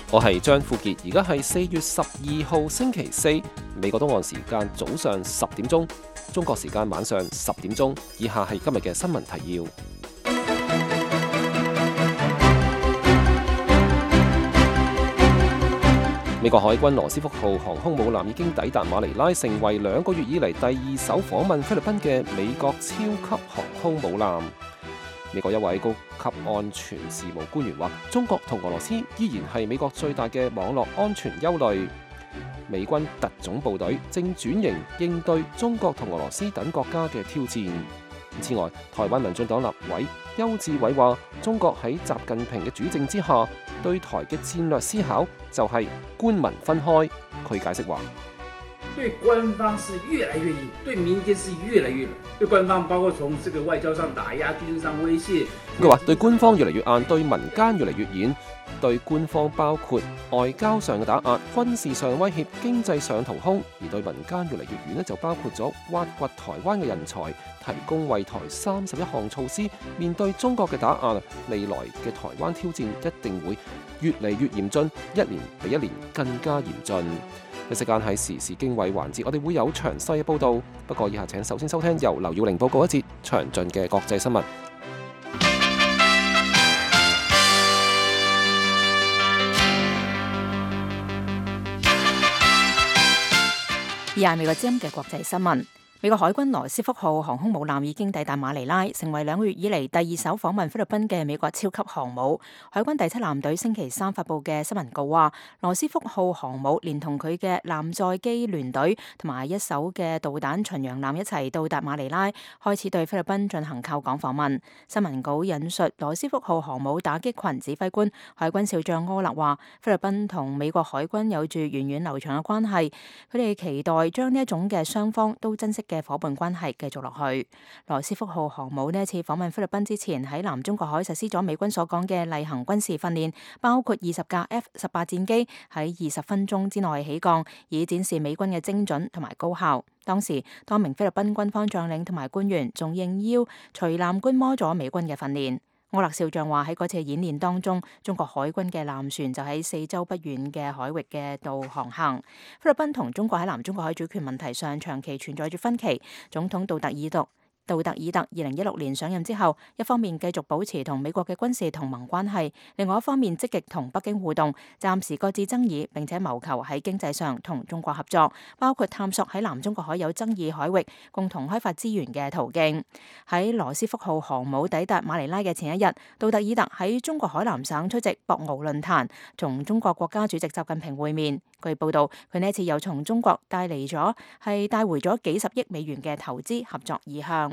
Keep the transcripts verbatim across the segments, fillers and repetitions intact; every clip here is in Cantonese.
我係張富傑，而家係四月十二號星期四，美國東岸時間早上十點鐘，中國時間晚上十點鐘。以下係今日嘅新聞提要。美國海軍羅斯福號航空母艦已經抵達馬尼拉，成為兩個月以嚟第二艘訪問菲律賓嘅美國超級航空母艦。美國一位高級安全事務官員話，中國同俄羅斯依然係美國最大嘅網絡安全憂慮。美軍特種部隊正轉型應對中國同俄羅斯等國家嘅挑戰。此外，台灣民進黨立委邱志偉話，中國喺習近平嘅主政之下，對台嘅戰略思考就係官民分開。佢解釋話，對官方是越來越硬，對民間是越來越軟。對官方包括從這個外交上打壓、軍事上威脅。佢話對官方越嚟越硬，對民間越嚟越軟。對官方包括外交上嘅打壓、軍事上威脅、經濟上掏空；而對民間越嚟越遠呢，就包括咗挖掘台灣嘅人才，提供為台三十一項措施。面對中國嘅打壓，未來嘅台灣挑戰一定會越嚟越嚴峻，一年比一年更加嚴峻。一時間喺時事經緯環節，我哋會有詳細嘅報導。不過以下請首先收聽由劉耀玲報告一節詳盡嘅國際新聞。以下係美國之音嘅國際新聞。美國海軍羅斯福號航空母艦已經抵達馬尼拉，成為兩個月以嚟第二艘訪問菲律賓嘅美國超級航母。海軍第七艦隊星期三發布嘅新聞稿話，羅斯福號航母連同佢嘅艦載機聯隊同埋一艘嘅導彈巡洋艦一齊到達馬尼拉，開始對菲律賓進行靠港訪問。新聞稿引述羅斯福號航母打擊群指揮官海軍少將柯勒話，菲律賓同美國海軍有住源遠流長嘅關係，佢哋期待將呢一種嘅雙方都珍惜嘅夥伴關係繼續落去。羅斯福號航母呢一次訪問菲律賓之前，喺南中國海實施咗美軍所講嘅例行軍事訓練，包括二十架 F 十八戰機喺二十分鐘之內起降，以展示美軍嘅精準同埋高效。當時多名菲律賓軍方將領同埋官員仲應邀隨艦觀摩咗美軍嘅訓練。柯勒少將話，喺嗰次演練當中，中國海軍嘅艦船就喺四周不遠嘅海域嘅度航行。菲律賓同中國喺南中國海主權問題上長期存在住分歧。總統杜特爾特杜特爾特二零一六年上任之後，一方面繼續保持同美國嘅軍事同盟關係，另外一方面積極同北京互動，暫時擱置爭議，並且謀求喺經濟上同中國合作，包括探索喺南中國海有爭議海域共同開發資源嘅途徑。喺羅斯福號航母抵達馬尼拉嘅前一日，杜特爾特喺中國海南省出席博鰲論壇，同中國國家主席習近平會面。據報道，佢呢一次又從中國帶嚟咗係帶回咗幾十億美元嘅投資合作意向。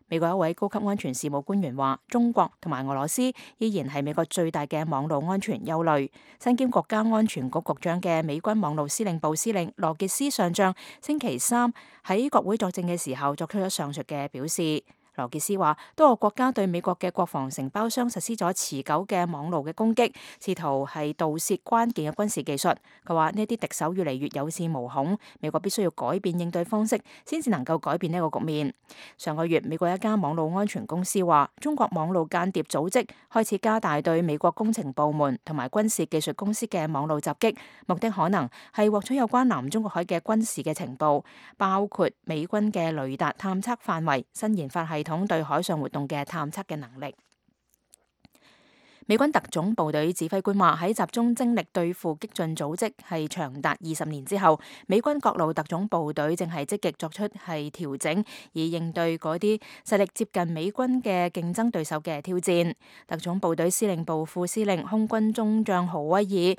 美國一位高級安全事務官員話，中國同埋俄羅斯依然係美國最大嘅網絡安全憂慮。身兼國家安全局局長嘅美軍網絡司令部司令羅傑斯上將星期三喺國會作證嘅時候作出咗上述嘅表示。羅傑斯話，多個國家對美國嘅國防承包商實施咗持久嘅網路嘅攻擊，試圖係盜竊關鍵嘅軍事技術。佢話呢啲敵手越嚟越有恃無恐，美國必須要改變應對方式，先至能夠改變呢個局面。上個月，美國一家網路安全公司話，中國網路間諜組織開始加大對美國工程部門同埋軍事技術公司嘅網路襲擊，目的可能係獲取有關南中國海嘅軍事嘅情報，包括美軍嘅雷達探測範圍、新研發系統對海上活動嘅探測嘅能力。美軍特種部隊指揮官話，喺集中精力對付激進組織係長達二十年之後，美軍各路特種部隊正係積極作出係調整，以應對嗰啲實力接近美軍嘅競爭對手嘅挑戰。特種部隊司令部副司令空軍中將豪威爾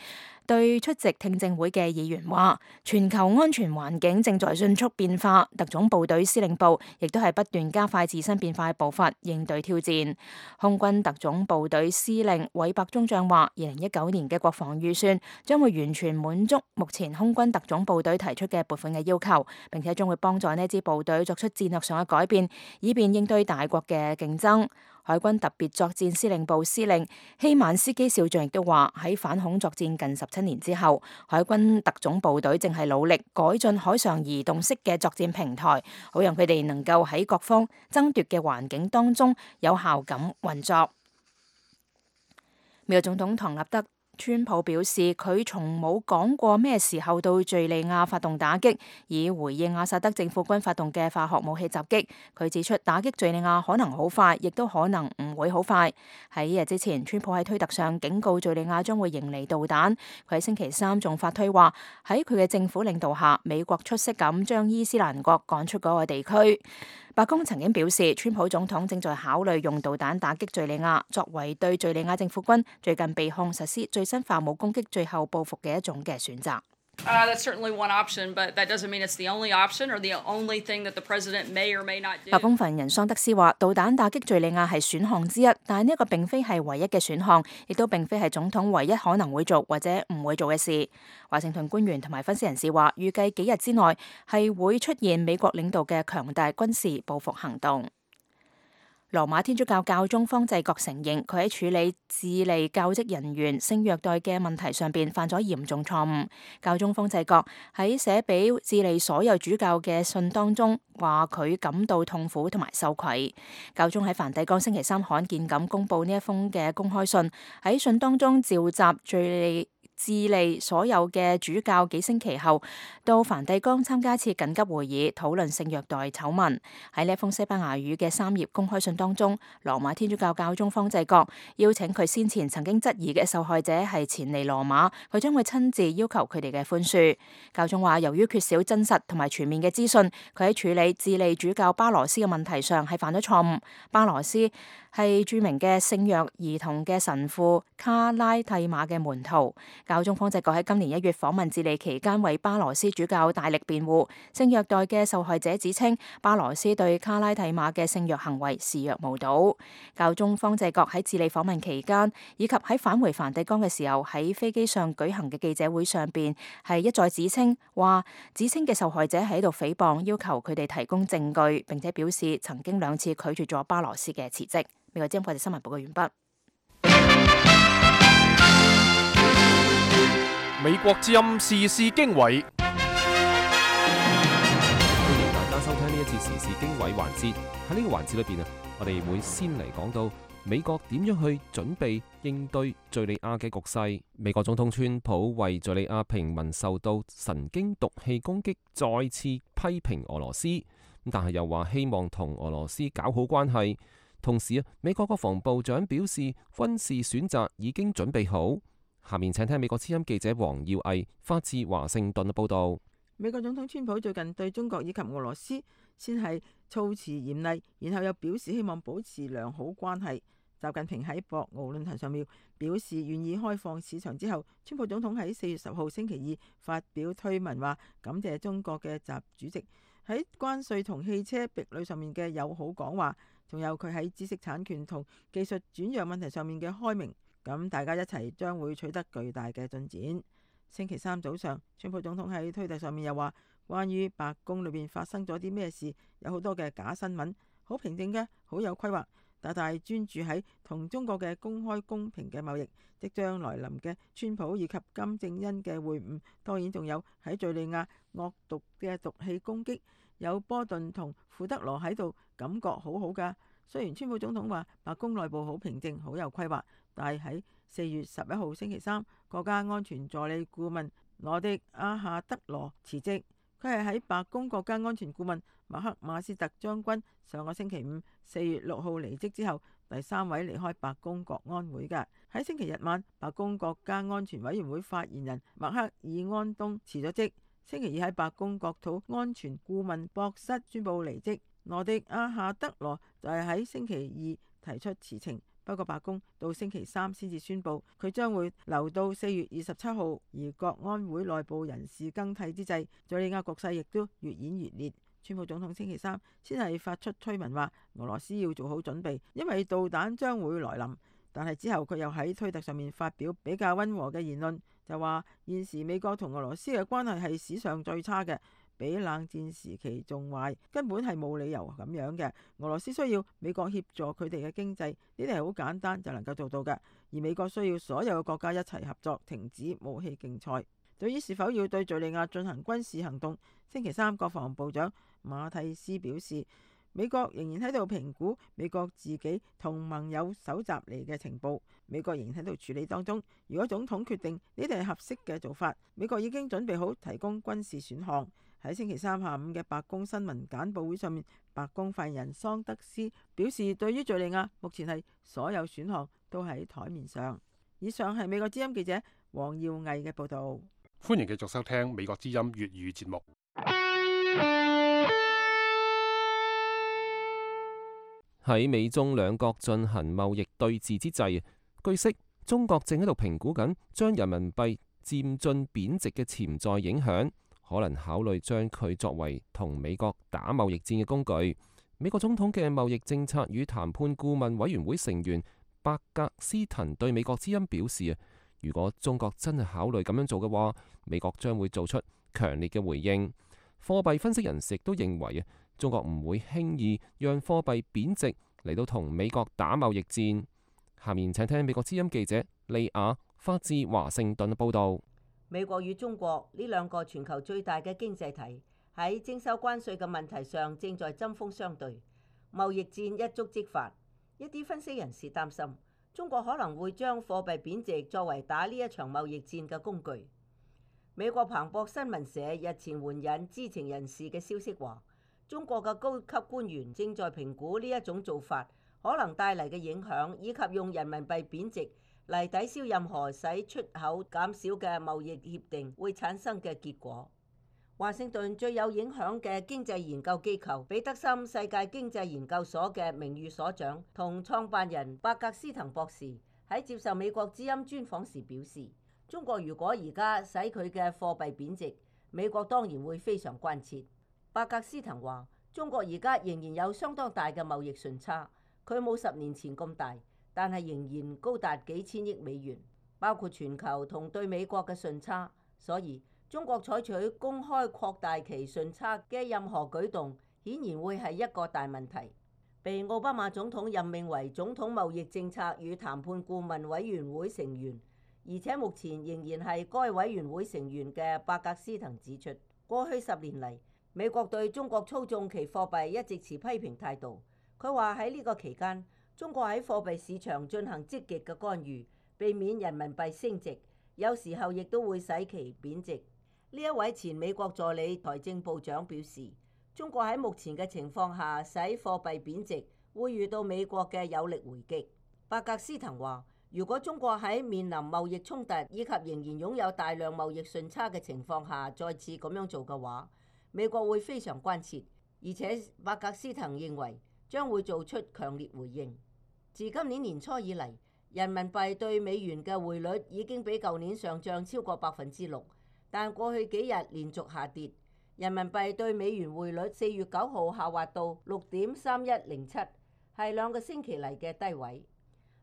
對出席聽證會嘅議員話，全球安全環境正在迅速變化，特種部隊司令部亦都係不斷加快自身變化嘅步伐，應對挑戰。空軍特種部隊司令韋伯中將話，二零一九年嘅國防預算將會完全滿足目前空軍特種部隊提出嘅撥款嘅要求，並且將會幫助呢支部隊作出戰略上嘅改變，以便應對大國嘅競爭。海軍特別作戰司令部司令希曼斯基少將亦都話，喺反恐作戰近十七年之後，海軍特種部隊正係努力改進海上移動式嘅作戰平台，好讓佢哋能夠喺各方爭奪嘅環境當中有效咁運作。美國總統唐納德川普表示佢從冇講過咩時候到敘利亞發動打擊，以回應阿薩德政府軍發動嘅化學武器襲擊。佢指出打擊敘利亞可能好快，亦都可能唔會好快。喺一日之前，川普喺推特上警告敘利亞將會迎嚟導彈。佢喺星期三仲發推話，喺佢嘅政府領導下，美國出色咁將伊斯蘭國趕出嗰個地區。白宮曾經表示，川普總統正在考慮用導彈打擊敘利亞，作為對敘利亞政府軍最近被控實施最新化武攻擊最後報復嘅一種嘅選擇。Uh, that's certainly one option, but that doesn't mean it's the only option or the only thing that the president may or may not do. 白宮發言人桑德斯話，導彈打擊敘利亞係選項之一，但係呢一個並非係唯一嘅選項，亦都並非係總統唯一可能會做或者唔會做嘅事。華盛頓官員同埋分析人士話，預計幾日之內係會出現美國領導嘅強大軍事報復行動。羅馬天主教教宗方濟各承認，佢喺處理智利教職人員性虐待嘅問題上邊犯咗嚴重錯誤。教宗方濟各喺寫俾智利所有主教嘅信當中，話佢感到痛苦同埋羞愧。教宗喺梵蒂岡星期三罕見咁公佈呢一封嘅公開信，喺信當中召集敘利智利所有嘅主教幾星期後到梵蒂岡參加一次緊急會議，討論性虐待醜聞。喺呢一封西班牙語嘅三頁公開信當中，羅馬天主教教宗方濟各邀請佢先前曾經質疑嘅受害者係前嚟羅馬，佢將會親自要求佢哋嘅寬恕。教宗話，由於缺少真實同埋全面嘅資訊，佢喺處理智利主教巴羅斯嘅問題上係犯咗錯誤。巴羅斯係著名嘅性虐兒童嘅神父卡拉蒂馬嘅門徒。教宗方濟各喺今年一月訪問智利期間，為巴羅斯主教大力辯護。性虐待嘅受害者指稱，巴羅斯對卡拉蒂馬嘅性虐行為視若無睹。教宗方濟各喺智利訪問期間，以及喺返回梵蒂岡嘅時候，喺飛機上舉行嘅記者會上邊，係一再指稱話，指稱嘅受害者喺度誹謗，要求佢哋提供證據，並且表示曾經兩次拒絕咗巴羅斯嘅辭職。美國之音國際新聞報告完畢。美國之音時事經緯，歡迎大家收聽呢一節時事經緯環節。喺呢個環節裏邊啊，我哋會先嚟講到美國點樣去準備應對敘利亞嘅局勢。美國總統川普為敘利亞平民受到神經毒氣攻擊再次批評俄羅斯，但係又話希望同俄羅斯搞好關係。同時啊，美國國防部長表示軍事選擇已經準備好。下面請聽美國之音記者黃耀毅發自華盛頓嘅報道。美國總統川普最近對中國以及俄羅斯先係措辭嚴厲，然後又表示希望保持良好關係。習近平喺博鰲論壇上面表示願意開放市場之後，川普總統喺四月十號星期二發表推文話感謝中國嘅習主席喺關稅同汽車壁壘上面嘅友好講話，仲有佢喺知識產權同技術轉讓問題上面嘅開明，咁大家一齊將會取得巨大嘅進展。星期三早上，川普總統喺推特上面又話，關於白宮裏邊發生咗啲咩事，有好多嘅假新聞，好平靜嘅，好有規劃，大大專注喺同中國嘅公開公平嘅貿易，即將來臨嘅川普以及金正恩嘅會晤，當然仲有喺敘利亞惡毒嘅毒氣攻擊，有波頓同庫德羅喺度，感覺好好㗎。雖然川普總統話白宮內部好平靜，好有規劃，但係喺四月十一號星期三，國家安全助理顧問羅迪阿夏德羅辭職。佢係喺白宮國家安全顧問馬克馬斯特將軍上個星期五四月六號離職之後，第三位離開白宮國安會嘅。喺星期日晚，白宮國家安全委員會發言人麥克爾安東辭咗職。星期二喺白宮國土安全顧問博室宣布離職。羅迪亞夏德羅就係喺星期二提出辭呈，不過白宮到星期三先至宣布佢將會留到四月二十七號。而國安會內部人事更替之際，敘利亞局勢亦都越演越烈。川普總統星期三先係發出推文話俄羅斯要做好準備，因為導彈將會來臨。但係之後佢又喺推特上面發表比較溫和嘅言論，就話現時美國同俄羅斯嘅關係係史上最差嘅，比冷戰時期仲壞，根本係冇理由咁樣嘅。俄羅斯需要美國協助佢哋嘅經濟，呢啲係好簡單就能夠做到嘅。而美國需要所有嘅國家一齊合作，停止武器競賽。對於是否要對敘利亞進行軍事行動，星期三國防部長馬蒂斯表示，美國仍然喺度評估美國自己同盟友搜集嚟嘅情報，美國仍然喺度處理當中。如果總統決定呢啲係合適嘅做法，美國已經準備好提供軍事選項。喺星期三下午嘅白宮新聞簡報會上面，白宮發言人桑德斯表示，對於敘利亞目前係所有選項都喺台面上。以上係美國之音記者黃耀毅嘅報道。歡迎繼續收聽美國之音粵語節目。喺美中兩國進行貿易對峙之際，據悉中國正喺度評估緊將人民幣漸進貶值嘅潛在影響，可能考慮將佢作為同美國打貿易戰嘅工具。美國總統嘅貿易政策與談判顧問委員會成員伯格斯滕對美國之音表示啊，如果中國真係考慮咁樣做嘅話，美國將會做出強烈嘅回應。貨幣分析人士亦都認為啊，中國唔會輕易讓貨幣貶值嚟到同美國打貿易戰。下面請聽美國之音記者利亞發自華盛頓報道。美國與中國呢兩個全球最大嘅經濟體喺徵收關稅嘅問題上正在針鋒相對，貿易戰一觸即發。一啲分析人士擔心，中國可能會將貨幣貶值作為打呢一場貿易戰嘅工具。美國彭博新聞社日前援引知情人士嘅消息話，中國嘅高級官員正在評估呢一種做法可能帶嚟嘅影響，以及用人民幣貶值嚟抵消任何使出口減少嘅貿易協定會產生嘅結果。華盛頓最有影響嘅經濟研究機構彼得森世界經濟研究所嘅名譽所長同創辦人伯格斯滕博士喺接受美國之音專訪時表示，中國如果而家使佢嘅貨幣貶值，美國當然會非常關切。伯格斯滕話，中國而家仍然有相當大嘅貿易順差，佢冇十年前咁大，但係仍然高達幾千億美元，包括全球同對美國嘅順差。所以中國採取公開擴大其順差嘅任何舉動，顯然會係一個大問題。被奧巴馬總統任命為總統貿易政策與談判顧問委員會成員，而且目前仍然係該委員會成員嘅伯格斯滕指出，過去十年嚟，美國對中國操縱其貨幣一直持批評態度。佢話喺呢個期間，中國喺貨幣市場進行積極嘅干預，避免人民幣升值，有時候亦都會使其貶值。呢一位前美國助理財政部長表示，中國喺目前嘅情況下使貨幣貶值，會遇到美國嘅有力回擊。伯格斯滕話，如果中國喺面臨貿易衝突以及仍然擁有大量貿易順差嘅情況下再次咁樣做嘅話，美國會非常關切，而且伯格斯滕認為將會做出強烈回應。自今年年初以嚟，人民幣對美元嘅匯率已經比舊年上漲超過百分之六，但過去幾日連續下跌，人民幣對美元匯率四月九號下滑到六點三一零七，係兩個星期嚟嘅低位。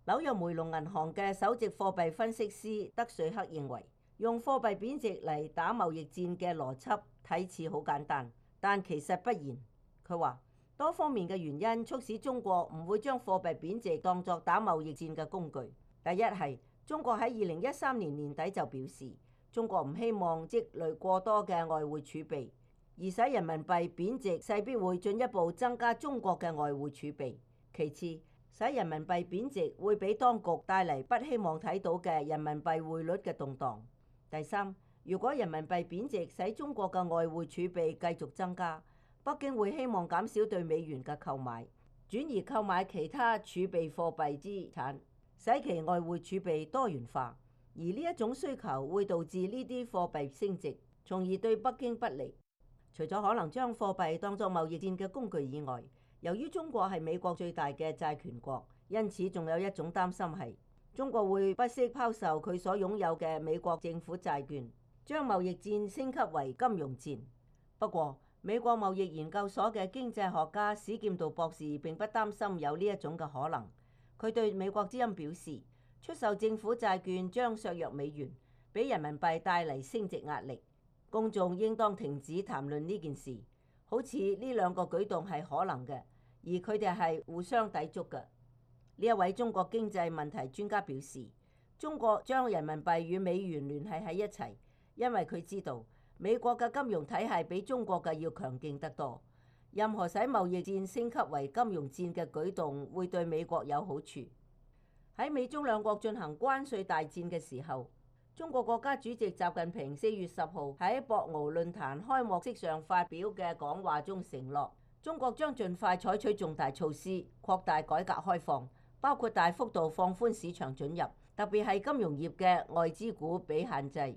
紐約梅隆銀行嘅首席貨幣分析師德瑞克認為，用貨幣貶值嚟打貿易戰嘅邏輯睇似好簡單，但其實不然。佢話多方面嘅原因促使中國唔會將貨幣貶值當作打貿易戰嘅工具。第一係中國喺二零一三年年底就表示，中國唔希望積累過多嘅外匯儲備，而使人民幣貶值勢必會進一步增加中國嘅外匯儲備。其次，使人民幣貶值會俾當局帶嚟不希望睇到嘅人民幣匯率嘅動盪。第三，如果人民幣貶值使中國嘅外匯儲備繼續增加，北京會希望減少對美元嘅購買，轉而購買其他儲備貨幣資產，使其外匯儲備多元化。而呢一種需求會導致呢啲貨幣升值，從而對北京不利。除咗可能將貨幣當作貿易戰嘅工具以外，由於中國係美國最大嘅債權國，因此仲有一種擔心係中國會不惜拋售佢所擁有嘅美國政府債券，將貿易戰升級為金融戰。不過，美國貿易研究所嘅經濟學家史劍道博士並不擔心有呢一種嘅可能。佢對美國之音表示，出售政府債券將削弱美元，俾人民幣帶嚟升值壓力。公眾應當停止談論呢件事，好似呢兩個舉動係可能嘅，而佢哋係互相抵觸嘅。呢一位中國經濟問題專家表示，中國將人民幣與美元聯繫喺一齊，因為佢知道美國嘅金融體系比中國嘅要強勁得多，任何使貿易戰升級為金融戰嘅舉動會對美國有好處。喺美中兩國進行關稅大戰嘅時候，中國國家主席習近平四月十號喺博鰲論壇開幕式上發表嘅講話中承諾，中國將盡快採取重大措施，擴大改革開放，包括大幅度放寬市場准入，特別係金融業嘅外資股比限制。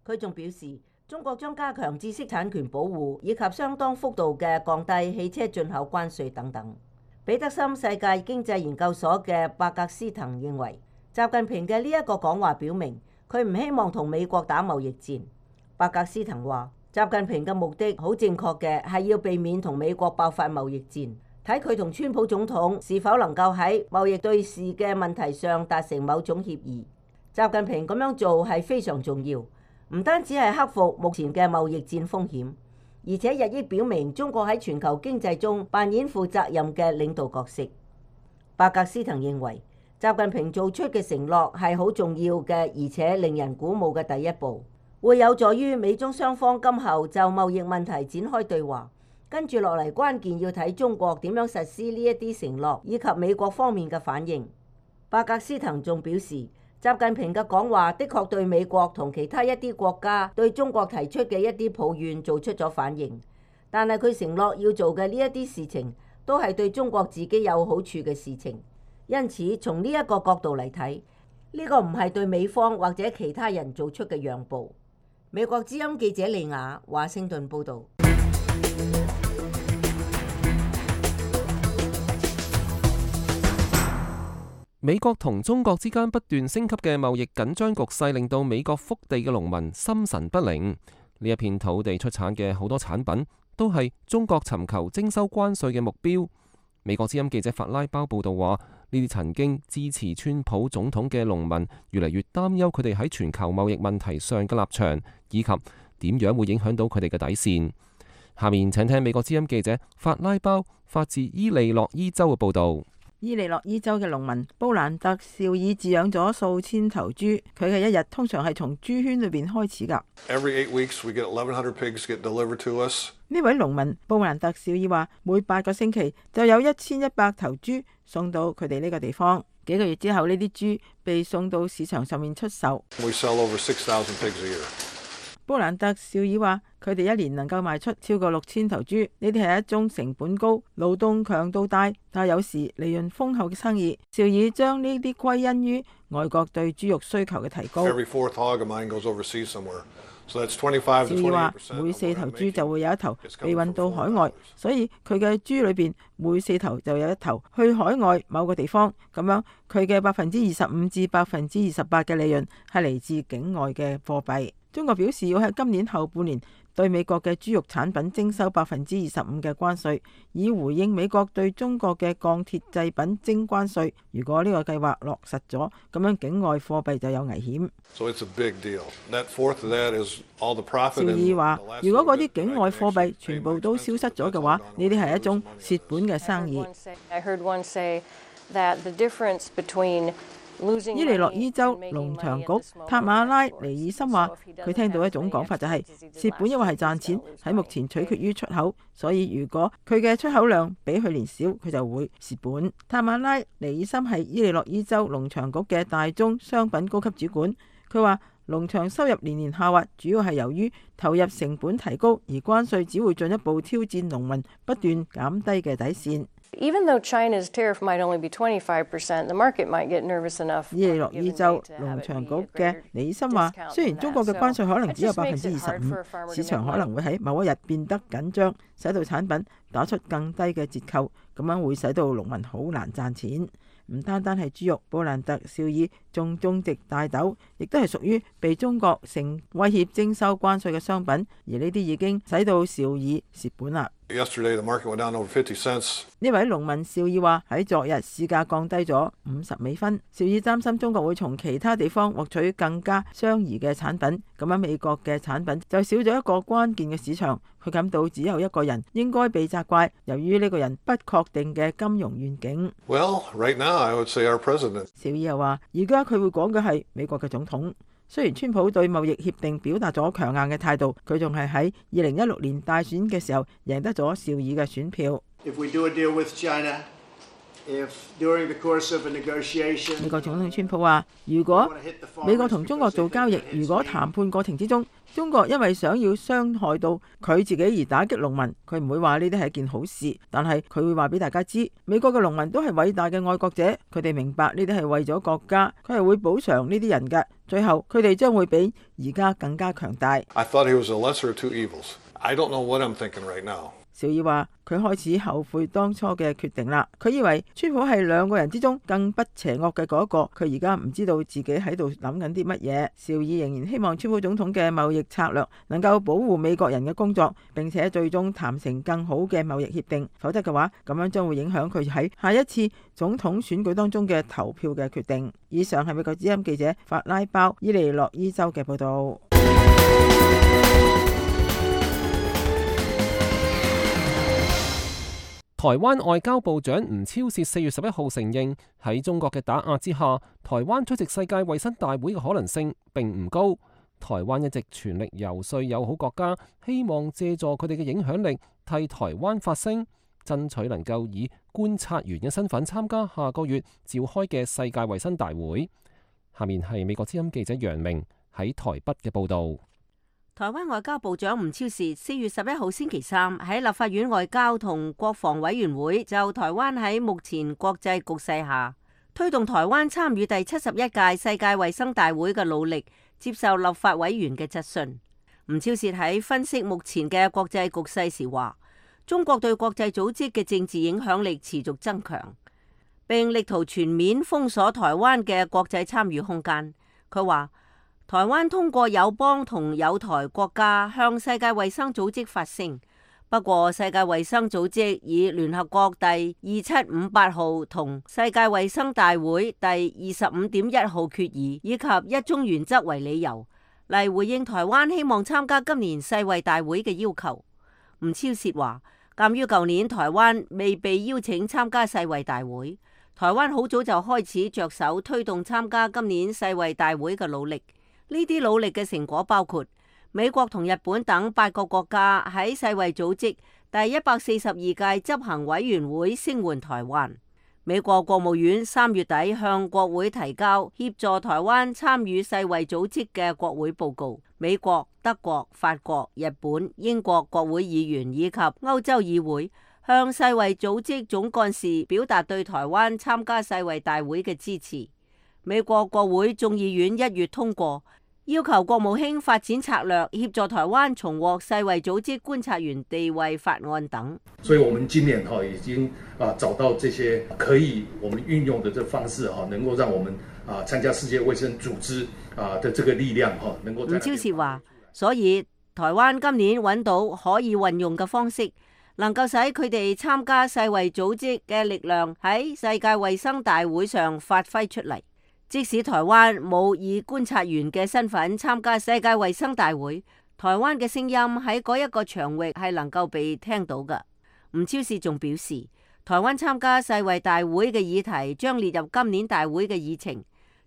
佢仲表示，中國將加強知識產權保護，以及相當幅度嘅降低汽車進口關稅等等。彼得森世界經濟研究所嘅伯格斯滕認為，習近平嘅呢一個講話表明，佢唔希望同美國打貿易戰。伯格斯滕話，習近平嘅目的好正確嘅，係要避免同美國爆發貿易戰，睇佢同川普總統是否能夠喺貿易對峙嘅問題上達成某種協議。習近平咁樣做係非常重要，唔單止係克服目前嘅貿易戰風險，而且日益表明中國喺全球經濟中扮演負責任嘅領導角色。伯格斯滕認為，習近平做出嘅承諾係好重要嘅，而且令人鼓舞嘅第一步，會有助於美中雙方今後就貿易問題展開對話。跟住落嚟，關鍵要睇中國點樣實施呢一啲承諾，以及美國方面嘅反應。伯格斯滕仲表示，習近平嘅講話的確對美國同其他一啲國家對中國提出嘅一啲抱怨做出咗反應，但係佢承諾要做嘅呢一啲事情都係對中國自己有好處嘅事情。因此，從呢一個角度嚟睇，呢個唔係對美方或者其他人做出嘅讓步。美國之音記者利雅華盛頓報導。美國同中國之間不斷升級嘅貿易緊張局勢，令到美國腹地嘅農民心神不寧。呢一片土地出產嘅好多產品，都係中國尋求徵收關稅嘅目標。美國之音記者法拉包報道話，呢啲曾經支持川普總統嘅農民越嚟越擔憂佢哋喺全球貿易問題上嘅立場，以及點樣會影響到佢哋嘅底線。下面請聽美國之音記者法拉包發自伊利諾伊州嘅報導。伊利諾伊州嘅農民布蘭特紹爾飼養咗數千頭豬，佢嘅一日通常係從豬圈裏邊開始㗎。Every eight weeks we get eleven hundred pigs get delivered to us. 呢位農民布蘭特紹爾話，每八個星期就有一千一百頭豬送到佢哋呢個地方。幾個月之後，呢啲豬被送到市場上面出售。We sell over six thousand pigs a year. 布蘭特紹爾話，佢哋一年能夠賣出超過六千頭豬，呢啲係一宗成本高、勞動強度大，但有時利潤豐厚嘅生意。紹爾將呢啲歸因於外國對豬肉需求嘅提高。Every fourth hog of mine goes overseas somewhere. So that's twenty-five to twenty-eight percent. 紹爾話，每四頭豬就會有一頭被運到海外，所以佢嘅豬裏邊每四頭就有一頭去海外某個地方。咁樣佢嘅百分之二十五至百分之二十八嘅利潤係嚟自境外嘅貨幣。中國表示要喺今年後半年對美國嘅豬肉產品徵收百分之二十五嘅關稅，以回應美國對中國嘅鋼鐵製品徵關稅。如果呢個計劃落實咗，咁樣境外貨幣就有危險。So it's a big deal. That fourth of that is all the profit. 紹爾話，如果嗰啲境外貨幣全部都消失咗嘅話，呢啲係一種蝕本嘅生意。I heard one say that the difference between伊利諾伊州農場局塔馬拉尼爾森話，佢聽到一種講法就係蝕本，因為係賺錢，喺目前取決於出口，所以如果佢嘅出口量比去年少，佢就會蝕本。塔馬拉尼爾森係伊利諾伊州農場局嘅大宗商品高級主管，佢話農場收入年年下滑，主要係由於投入成本提高，而關稅只會進一步挑戰農民不斷減低嘅底線。Even though China's tariff might only be twenty-five percent, the market might get nervous enough. 伊利諾伊州農場局嘅李森話，雖然中國嘅關稅可能只有百分之二十五，市場可能會喺某一日變得緊張，使到產品打出更低嘅折扣，咁樣會使到農民好難賺錢。唔單單係豬肉，布蘭特紹爾仲種植大豆，亦都係屬於被中國成威脅徵收關稅嘅商品，而呢啲已經使到紹爾蝕本啦。Yesterday the market went down over fifty cents. 呢位農民紹爾話，喺昨日市價降低咗五十美分。紹爾擔心中國會從其他地方獲取更加相宜嘅產品，咁樣美國嘅產品就少咗一個關鍵嘅市場。佢感到只有一個人應該被責怪，由於呢個人不確定嘅金融願景。Well, right now I would say our president. 紹爾又話，而家佢會講嘅係美國嘅總統。雖然川普對貿易協定表達咗強硬嘅態度，佢仲係喺二零一六年大選嘅時候贏得咗邵爾嘅選票。If we do a deal with China, if during the course of a negotiation, 美國總統川普話：如果美國同中國做交易，如果談判過程之中，中國因為想要傷害到佢自己而打擊農民，佢唔會話呢啲係一件好事，但係佢會話俾大家知，美國嘅農民都係偉大嘅愛國者，佢哋明白呢啲係為咗國家，佢係會補償呢啲人嘅，最後佢哋將會比而家更加強大。I thought he was a lesser of two evils. I don't know what I'm thinking right now. 邵爾話：佢開始後悔當初嘅決定啦。佢以為川普係兩個人之中更不邪惡嘅嗰一個，佢而家唔知道自己喺度諗緊啲乜嘢。邵爾仍然希望川普總統嘅貿易策略能夠保護美國人嘅工作，並且最終談成更好嘅貿易協定。否則嘅話，咁樣將會影響佢喺下一次總統選舉當中嘅投票嘅決定。以上係美國之音記者法拉鮑伊利諾伊州嘅報導。台灣外交部長吳釗燮四月十一號承認，喺中國嘅打壓之下，台灣出席世界衛生大會嘅可能性並唔高。台灣一直全力游說友好國家，希望借助佢哋嘅影響力替台灣發聲，爭取能夠以觀察員嘅身份參加下個月召開嘅世界衛生大會。下面係美國之音記者楊明喺台北嘅報導。台灣外交部長吳釗燮四月十一號星期三喺立法院外交同國防委員會就台灣喺目前國際局勢下推動台灣參與第七十一屆世界衛生大會嘅努力，接受立法委員嘅質詢。吳釗燮喺分析目前嘅國際局勢時話，中國對國際組織嘅政治影響力持續增強，並力圖全面封鎖台灣嘅國際參與空間。佢話，台灣通過友邦同友台國家向世界衛生組織發聲，不過世界衛生組織以聯合國第二七五八號同世界衛生大會第二十五點一號決議以及一中原則為理由嚟回應台灣希望參加今年世衛大會嘅要求。吳釗燮話，鑒於舊年台灣未被邀請參加世衛大會，台灣好早就開始着手推動參加今年世衛大會嘅努力。呢啲努力嘅成果包括美國同日本等八個國家喺世衛組織第一百四十二屆執行委員會聲援台灣。美國國務院三月底向國會提交協助台灣參與世衛組織嘅國會報告。美國、德國、法國、日本、英國國會議員以及歐洲議會向世衛組織總幹事表達對台灣參加世衛大會嘅支持。美國國會眾議院一月通過要求國務卿發展策略，協助台灣重獲世衛組織觀察員地位法案等。所以，我們今年哈已經啊找到這些可以我們運用的這方式哈，能夠讓我們啊參加世界衛生組織啊的這個力量哈，能夠。吳釗燮話，所以台灣今年揾到可以運用嘅方式，能夠使佢哋參加世衛組織嘅力量喺世界衛生大會上發揮出嚟。即使台灣冇以觀察員嘅身份參加世界衛生大會，台灣嘅聲音喺嗰一個場域係能夠被聽到嘅。吳釗燮仲表示，台灣參加世衛大會嘅議題將列入今年大會嘅議程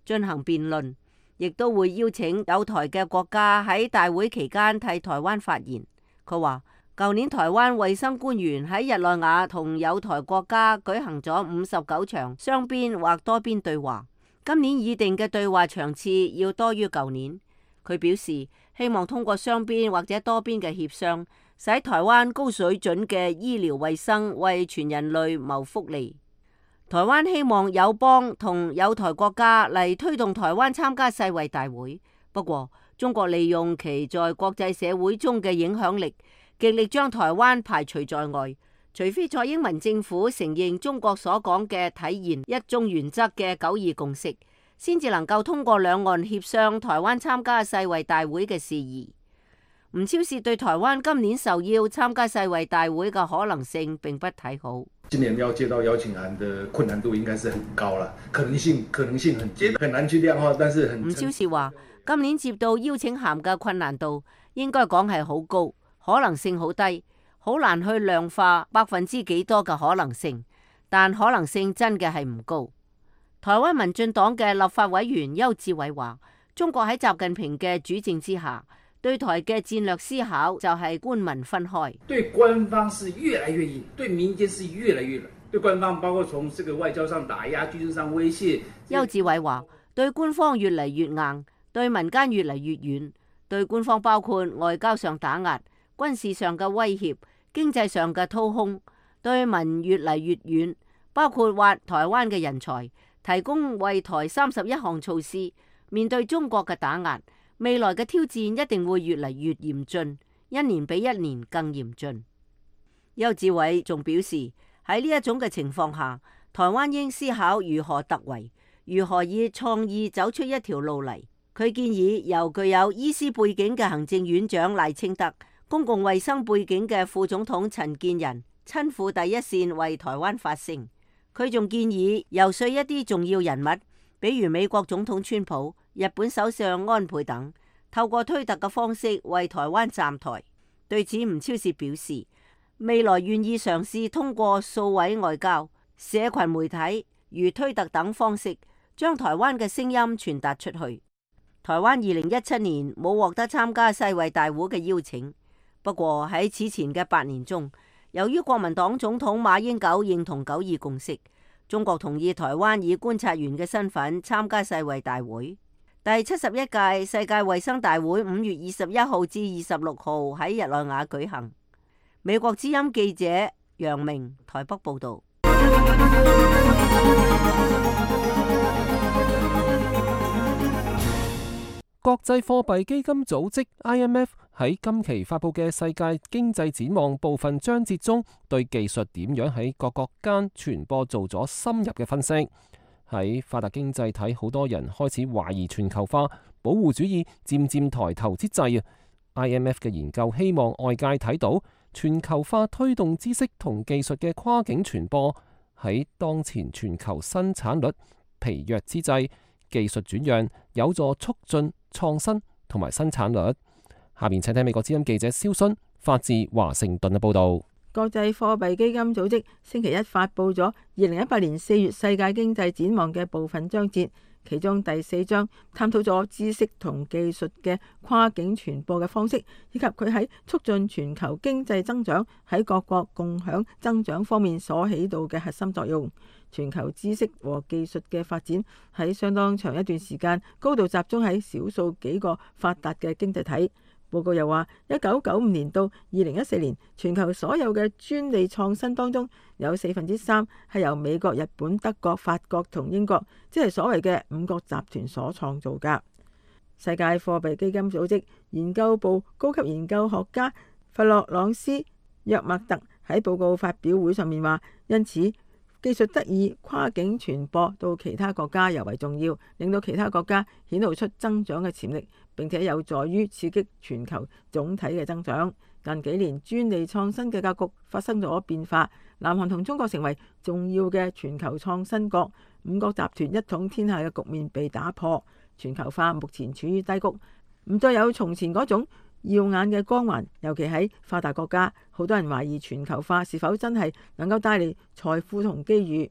進行辯論，亦都會邀請友台嘅國家喺大會期間替台灣發言。佢話，舊年台灣衛生官員喺日內瓦同友台國家舉行咗五十九場雙邊或多邊對話。今年擬定嘅對話場次要多於舊年。佢表示希望通過雙邊或者多邊嘅協商，使台灣高水準嘅醫療衛生為全人類謀福利。台灣希望友邦同友台國家嚟推動台灣參加世衛大會。不過，中國利用其在國際社會中嘅影響力，極力將台灣排除在外。除非蔡英文政府承認中國所講嘅體現一中原則嘅九二共識，先至能夠通過兩岸協商台灣參加世衛大會嘅事宜。吳釗燮對台灣今年受邀參加世衛大會嘅可能性並不睇好。今年要接到邀請函的困難度應該是很高啦，可能性可能性很很難去量化，但是很。吳釗燮話：今年接到邀請函嘅困難度應該講係好高，可能性好低。好難去量化百分之幾多嘅可能性，但可能性真嘅係唔高。台灣民進黨嘅立法委員邱志偉話：中國喺習近平嘅主政之下，對台嘅戰略思考就係官民分開。對官方是越來越硬，對民間是越來越軟。對官方包括從這個外交上打壓、軍事上威脅。邱志偉話：對官方越嚟越硬，對民間越嚟越軟。對官方包括外交上打壓、軍事上嘅威脅、經濟上嘅掏空；對民越嚟越軟，包括挖台灣嘅人才，提供為台三十一項措施。面對中國嘅打壓，未來嘅挑戰一定會越嚟越嚴峻，一年比一年更嚴峻。邱志偉仲表示，喺呢一種嘅情況下，台灣應思考如何突圍，如何以創意走出一條路嚟。佢建議由具有醫師背景嘅行政院長賴清德、公共衛生背景嘅副總統陳建仁親赴第一線為台灣發聲。佢仲建議游說一啲重要人物，比如美國總統川普、日本首相安倍等，透過推特嘅方式為台灣站台。對此，吳釗燮表示，未來願意嘗試通過數位外交、社群媒體如推特等方式，將台灣嘅聲音傳達出去。台灣二零一七年冇獲得參加世衛大會嘅邀請，不過喺此前嘅八年中，由於國民黨總統馬英九認同九二共識，中國同意台灣以觀察員嘅身份參加世衛大會。第七十一屆世界衛生大會五月二十一號至二十六號喺日內瓦舉行。美國之音記者楊明台北報道。國際貨幣基金組織 I M F 喺今期發佈嘅世界經濟展望部分章節中，對技術點樣喺各國間傳播做咗深入嘅分析。喺發達經濟體，好多人開始懷疑全球化、保護主義漸漸抬頭之際啊 ，I M F 嘅研究希望外界睇到全球化推動知識同技術嘅跨境傳播，喺當前全球生產率疲弱之際，技術轉讓有助促進創新同埋生產率。下面請聽美國之音記者蕭순發自華盛頓嘅報導。國際貨幣基金組織星期一發佈咗二零一八年四月世界經濟展望嘅部分章節，其中第四章探討咗知識同技術嘅跨境傳播嘅方式，以及佢喺促進全球經濟增長、喺各國共享增長方面所起到嘅核心作用。全球知識和技術嘅發展喺相當長一段時間高度集中喺少數幾個發達嘅經濟體。報告又話，一九九五年到二零一四年，全球所有嘅專利創新當中，有四分之三係由美國、日本、德國、法國同英國，即係所謂嘅五國集團所創造㗎。世界貨幣基金組織研究部高級研究學家弗洛朗斯約默特喺報告發表會上面話，因此技術得以跨境傳播到其他國家尤為重要，令到其他國家顯露出增長嘅潛力，並且有助於刺激全球總體嘅增長。近幾年專利創新嘅格局發生咗變化，南韓同中國成為重要嘅全球創新國，五國集團一統天下嘅局面被打破，全球化目前處於低谷，唔再有從前嗰種耀眼嘅光環，尤其喺發達國家，好多人懷疑全球化是否真係能夠帶嚟財富同機遇。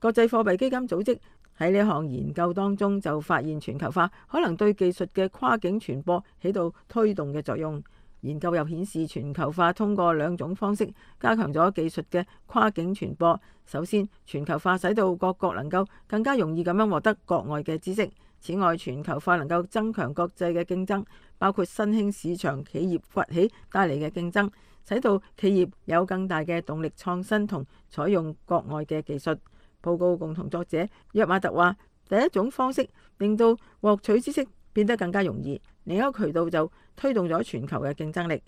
國際貨幣基金組織喺呢項研究當中就發現，全球化可能對技術嘅跨境傳播起到推動嘅作用。研究又顯示，全球化通過兩種方式加強咗技術嘅跨境傳播。首先，全球化使到各國能夠更加容易咁樣獲得國外嘅知識。此外，全球化能夠增強國際嘅競爭，包括新興市場企業崛起帶嚟嘅競爭，使到企業有更大嘅動力創新同採用國外嘅技術。報告共同作者約馬特話，第一種方式令到獲取知識變得更加容易，另一個渠道就推動咗全球嘅競爭力。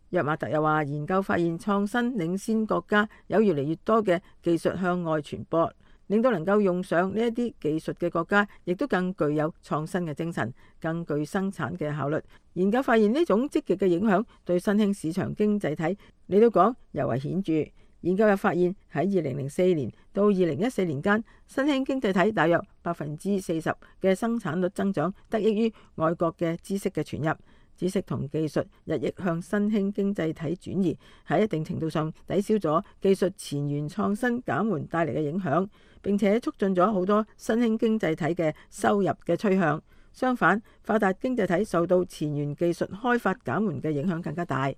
約馬特又話，研究發現創新領先國家有越嚟越多嘅技術向外傳播，令到能夠用上呢一啲技術嘅國家，亦都更具有創新嘅精神，更具生產嘅效率。研究發現呢種積極嘅影響對新興市場經濟體嚟到講尤為顯著。研究又發現喺二零零四年到二零一四年間，新興經濟體大約百分之四十嘅生產率增長得益於外國嘅知識嘅傳入。知識同技術日益向新興經濟體轉移，喺一定程度上抵消咗技術前沿創新減緩帶嚟嘅影響，並且促進咗好多新興經濟體嘅收入嘅趨向。相反，發達經濟體受到前沿技術開發減緩嘅影響更加大。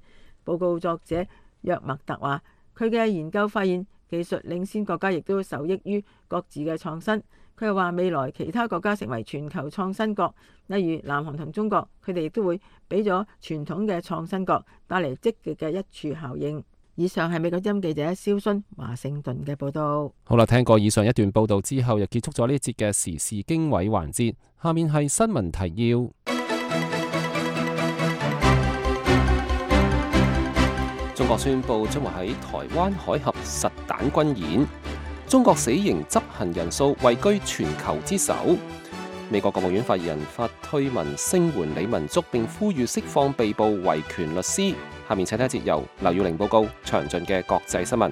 報告作者約默特話，佢嘅研究發現，技術領先國家亦都受益於各自嘅創新。佢又話，未來其他國家成為全球創新國，例如南韓同中國，佢哋亦都會俾咗傳統嘅創新國帶嚟積極嘅一處效應。以上係美國之音記者蕭薰華盛頓嘅報道。好啦，聽過以上一段報道之後，又結束咗呢節嘅時事經緯環節。下面係新聞提要。中國宣布將會喺台灣海峽實彈軍演。中國死刑執行人數位居全球之首。美國國務院發言人發推文聲援李文竹，並呼籲釋放被捕維權律師。下面請睇一節由劉耀玲報告詳盡嘅國際新聞。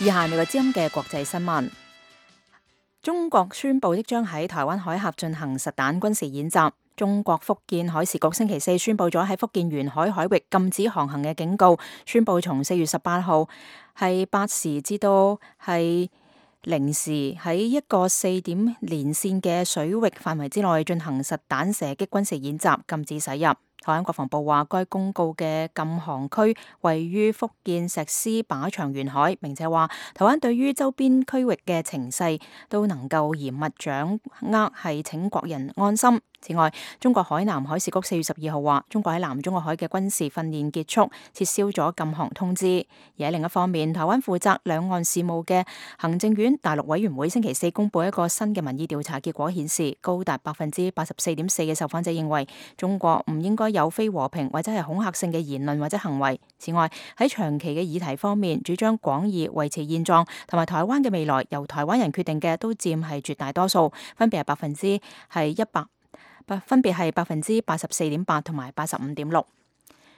以下係美國之音嘅國際新聞。中國宣布即將喺台灣海峽進行實彈軍事演習。中國福建海事局星期四宣布咗喺福建沿海海域禁止航行嘅警告，宣布從四月十八號係八時至到係零時喺一個四點連線嘅水域範圍之內進行實彈射擊軍事演習，禁止駛入。台灣國防部話，該公告嘅禁航區位於福建石獅靶場沿海，並且話台灣對於周邊區域嘅情勢都能夠嚴密掌握，係請國人安心。此外，中國海南海事局四月十二號話，中國喺南中國海嘅軍事訓練結束，撤銷咗禁航通知。而喺另一方面，台灣負責兩岸事務嘅行政院大陸委員會星期四公布一個新嘅民意調查結果，顯示高達百分之八十四點四嘅受訪者認為中國唔應該有非和平或者係恐嚇性嘅言論或者行為。此外，喺長期嘅議題方面，主張廣義維持現狀同埋台灣嘅未來由台灣人決定嘅都佔係絕大多數，分別係百分之係一百。分別係百分之八十四點八同埋八十五點六。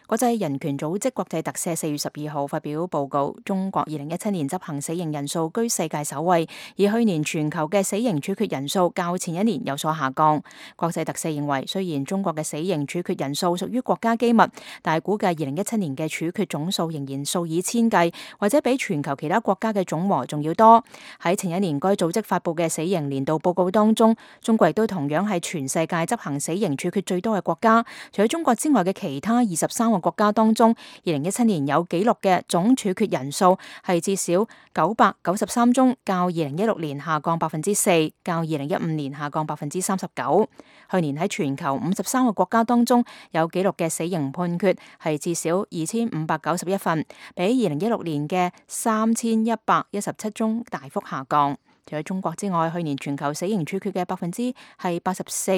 國際人權組織國際特赦四月十二號發表報告，中國二零一七年執行死刑人數居世界首位，而去年全球嘅死刑處決人數較前一年有所下降。國際特赦認為，雖然中國嘅死刑處決人數屬於國家機密，但係估計二零一七年嘅處決總數仍然數以千計，或者比全球其他國家嘅總和仲要多。喺前一年該組織發布嘅死刑年度報告當中，中國亦都同樣係全世界執行死刑處決最多嘅國家。除咗中國之外嘅其他二十三個國家當中，二零一七年有紀錄嘅總處決人數係至少九百九十三宗，較二零一六年下降百分之四，較二零一五年下降百分之三十九。去年喺全球五十三個國家當中有紀錄嘅死刑判決係至少二千五百九十一份，比二零一六年嘅三千一百一十七宗大幅下降。除咗中國之外，去年全球死刑處決嘅百分之係八十四，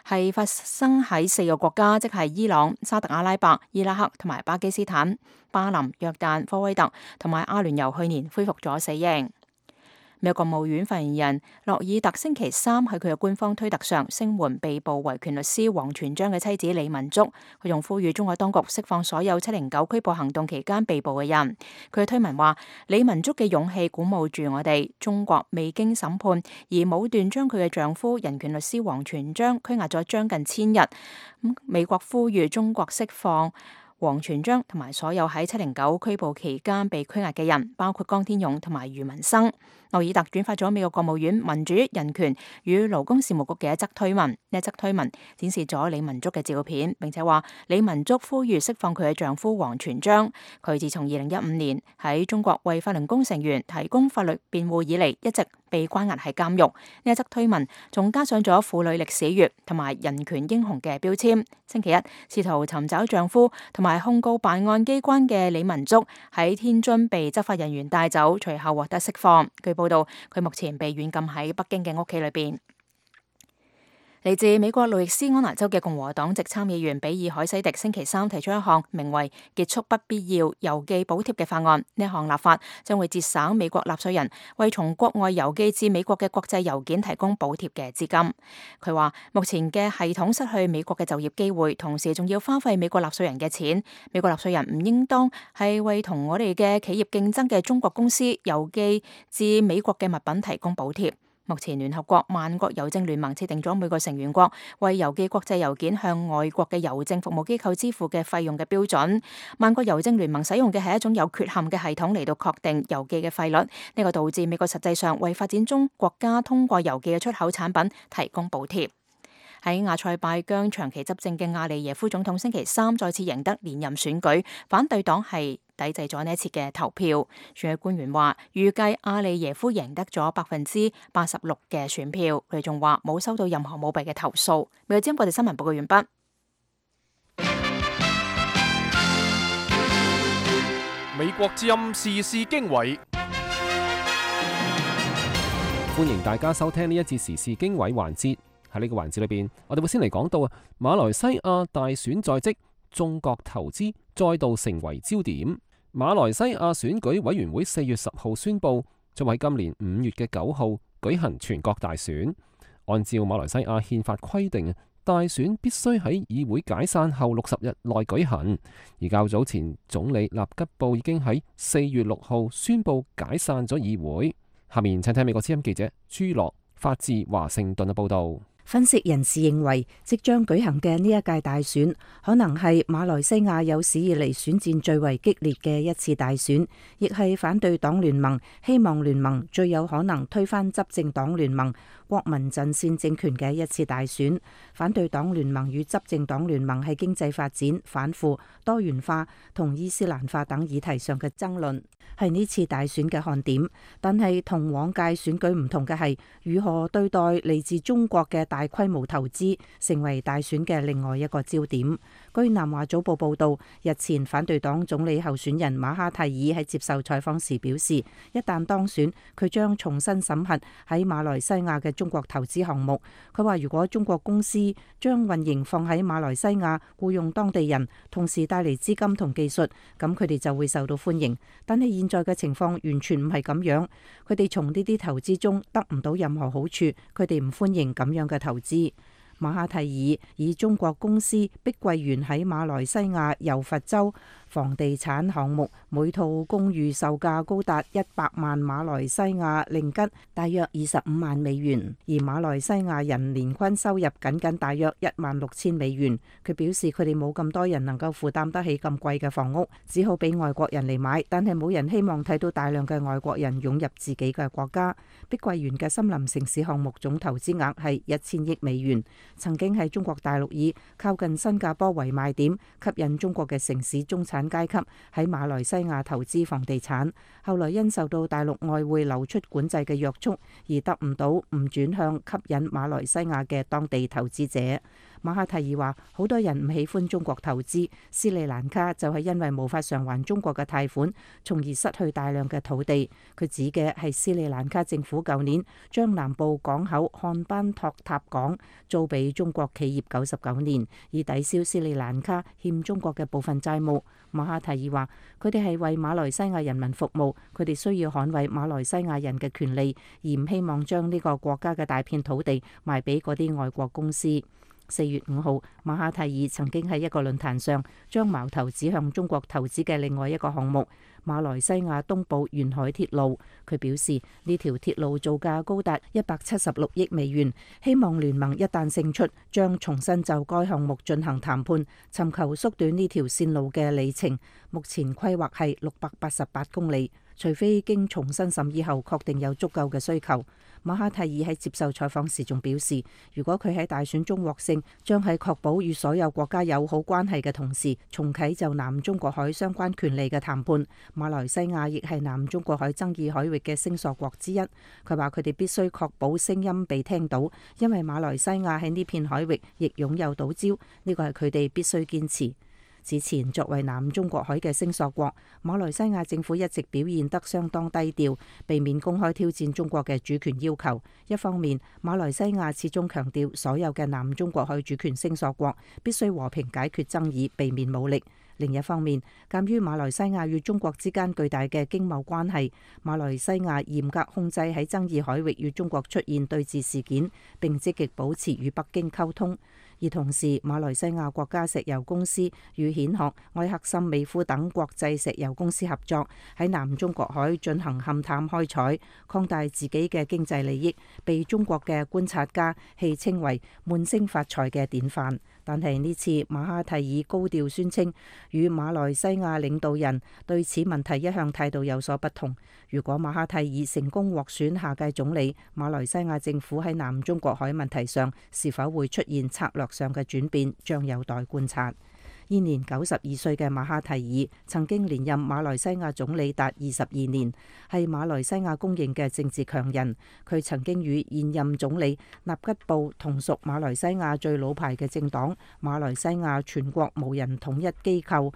係發生喺四個國家，即係伊朗、沙特阿拉伯、伊拉克同埋巴基斯坦、巴林、約旦、科威特同埋阿聯酋去年恢復咗死刑。美國國務院發言人洛爾特星期三喺佢嘅官方推特上聲援被捕維權律師王全璋嘅妻子李文竹，佢仲呼籲中國當局釋放所有七零九拘捕行動期間被捕嘅人。佢嘅推文話：李文竹嘅勇氣鼓舞住我哋，中國未經審判而武斷將佢嘅丈夫人權律師王全璋拘押咗將近千日。美國呼籲中國釋放王全璋同埋所有喺七零九拘捕期間被拘押嘅人，包括江天勇同埋余文生。諾爾特轉發咗美國國務院民主、人權與勞工事務局嘅一則推文，呢一則推文展示咗李文竹嘅照片，並且話李文竹呼籲釋放佢嘅丈夫王全璋。佢自從二零一五年喺中國為法輪功成員提供法律辯護以嚟，一直被關押喺監獄。呢一則推文仲加上咗婦女歷史月同埋人權英雄嘅標籤。星期一，試圖尋找丈夫同埋控告辦案機關嘅李文竹喺天津被執法人員帶走，隨後獲得釋放。據報道，佢目前被軟禁喺北京嘅屋企裏邊。嚟自美國路易斯安那州嘅共和黨籍參議員比爾海西迪星期三提出一項名為結束不必要郵寄補貼嘅法案。呢項立法將會節省美國納稅人為從國外郵寄至美國嘅國際郵件提供補貼嘅資金。佢話目前嘅系統失去美國嘅就業機會，同時仲要花費美國納稅人嘅錢。美國納稅人唔應當係為同我哋嘅企業競爭嘅中國公司郵寄至美國嘅物品提供補貼。目前聯合國萬國郵政聯盟設定咗每個成員國為郵寄國際郵件向外國嘅郵政服務機構支付嘅費用嘅標準。萬國郵政聯盟使用嘅係一種有缺陷嘅系統嚟到確定郵寄嘅費率，呢個導致美國實際上為發展中國家通過郵寄嘅出口產品提供補貼。喺亞塞拜疆長期執政嘅阿利耶夫總統星期三再次贏得連任選舉，反對黨係抵制咗呢一次嘅投票。選舉官員話，預計阿利耶夫贏得咗百分之八十六嘅選票。佢哋仲話冇收到任何舞弊嘅投訴。美國之音國際新聞報告完畢。美國之音時事經緯，歡迎大家收聽呢一節時事經緯環節。喺呢個環節裏邊，我哋會先嚟講到啊，馬來西亞大選在即，中國投資再度成為焦點。馬來西亞選舉委員會四月十號宣布，將喺今年五月嘅九號舉行全國大選。按照馬來西亞憲法規定，大選必須喺議會解散後六十日內舉行。而較早前，總理納吉布已經喺四月六號宣布解散咗議會。下面請聽美國之音記者朱樂發自華盛頓嘅報道。分析人士認為，即將舉行嘅呢一屆大選，可能係馬來西亞有史以嚟選戰最為激烈嘅一次大選，亦係反對黨聯盟、希望聯盟最有可能推翻執政黨聯盟國民陣線政權嘅一次大選。反對黨聯盟與執政黨聯盟喺經濟發展、反腐、多元化同伊斯蘭化等議題上嘅爭論，係呢次大選嘅看點。但係同往屆選舉唔同嘅係，如何對待嚟自中國嘅大規模投資，成為大選嘅另外一個焦點。據南華早報報道，日前反對黨總理候選人馬哈蒂爾喺接受採訪時表示，一旦當選，佢將重新審核喺馬來西亞嘅中國投資項目。佢話如果中國公司將運營放喺馬來西亞，僱用當地人，同時帶嚟資金同技術，咁佢哋就會受到歡迎。但係現在嘅情況完全唔係咁樣，佢哋從呢啲投資中得唔到任何好處，佢哋唔歡迎咁樣嘅投資。馬哈蒂爾以中國公司碧桂園喺馬來西亞柔佛州房地產項目，每套公寓售價高達一百萬馬來西亞令吉，大約二十五萬美元，而馬來西亞人年均收入僅僅大約一萬六千美元。佢表示佢哋冇咁多人能夠負擔得起咁貴嘅房屋，只好俾外國人嚟買，但係冇人希望睇到大量嘅外國人湧入自己嘅國家。碧桂園嘅森林城市項目總投資額係一千億美元。曾經喺中國大陸以靠近新加坡為賣點，吸引中國嘅城市中產階級喺馬來西亞投資房地產，後來因受到大陸外匯流出管制嘅約束，而得唔到唔轉向吸引馬來西亞嘅當地投資者。馬哈蒂爾話，好多人唔喜歡中國投資，斯里蘭卡就係因為無法償還中國嘅貸款，從而失去大量嘅土地。佢指嘅係斯里蘭卡政府舊年將南部港口漢班托塔港租俾中國企業九十九年，以抵消斯里蘭卡欠中國嘅部分債務。馬哈蒂爾話，佢哋係為馬來西亞人民服務，佢哋需要捍衛馬來西亞人嘅權利，而唔希望將呢個國家嘅大片土地賣俾嗰啲外國公司。四月五號，馬哈蒂爾曾經喺一個論壇上將矛頭指向中國投資嘅另外一個項目馬來西亞東部沿海鐵路。佢表示呢條鐵路造價高達一百七十六億美元，希望聯盟一旦勝出，將重新就該項目進行談判，尋求縮短呢條線路嘅里程。目前規劃係六百八十八公里，除非經重新審議後確定有足夠嘅需求。馬哈蒂爾喺接受採訪時仲表示，如果佢喺大選中獲勝，將喺確保與所有國家友好關係嘅同時，重啟就南中國海相關權利嘅談判。馬來西亞亦係南中國海爭議海域嘅聲索國之一。佢話佢哋必須確保聲音被聽到，因為馬來西亞喺呢片海域亦擁有島礁，呢個係佢哋必須堅持。此前作為南中國海嘅聲索國，馬來西亞政府一直表現得相當低調，避免公開挑戰中國嘅主權要求。一方面，馬來西亞始終強調所有嘅南中國海主權聲索國必須和平解決爭議，避免武力。另一方面，鑑於馬來西亞與中國之間巨大嘅經貿關係，馬來西亞嚴格控制喺爭議海域與中國出現對峙事件，並積極保持與北京溝通。而同時，馬來西亞國家石油公司與蜆殼、埃克森美孚等國際石油公司合作，喺南中國海進行勘探開採，擴大自己嘅經濟利益，被中國嘅觀察家戲稱為悶聲發財嘅典範。但係呢次馬哈蒂爾高調宣稱，與馬來西亞領導人對此問題一向態度有所不同。如果馬哈蒂爾成功獲選下屆總理，馬來西亞政府喺南中國海問題上是否會出現策略上嘅轉變，將有待觀察。現年九十二歲嘅馬哈蒂爾曾經連任馬來西亞總理達二十二年，係馬來西亞公認嘅政治強人。佢曾經與現任總理納吉布同屬馬來西亞最老牌嘅政黨馬來西亞全國無人統一機構，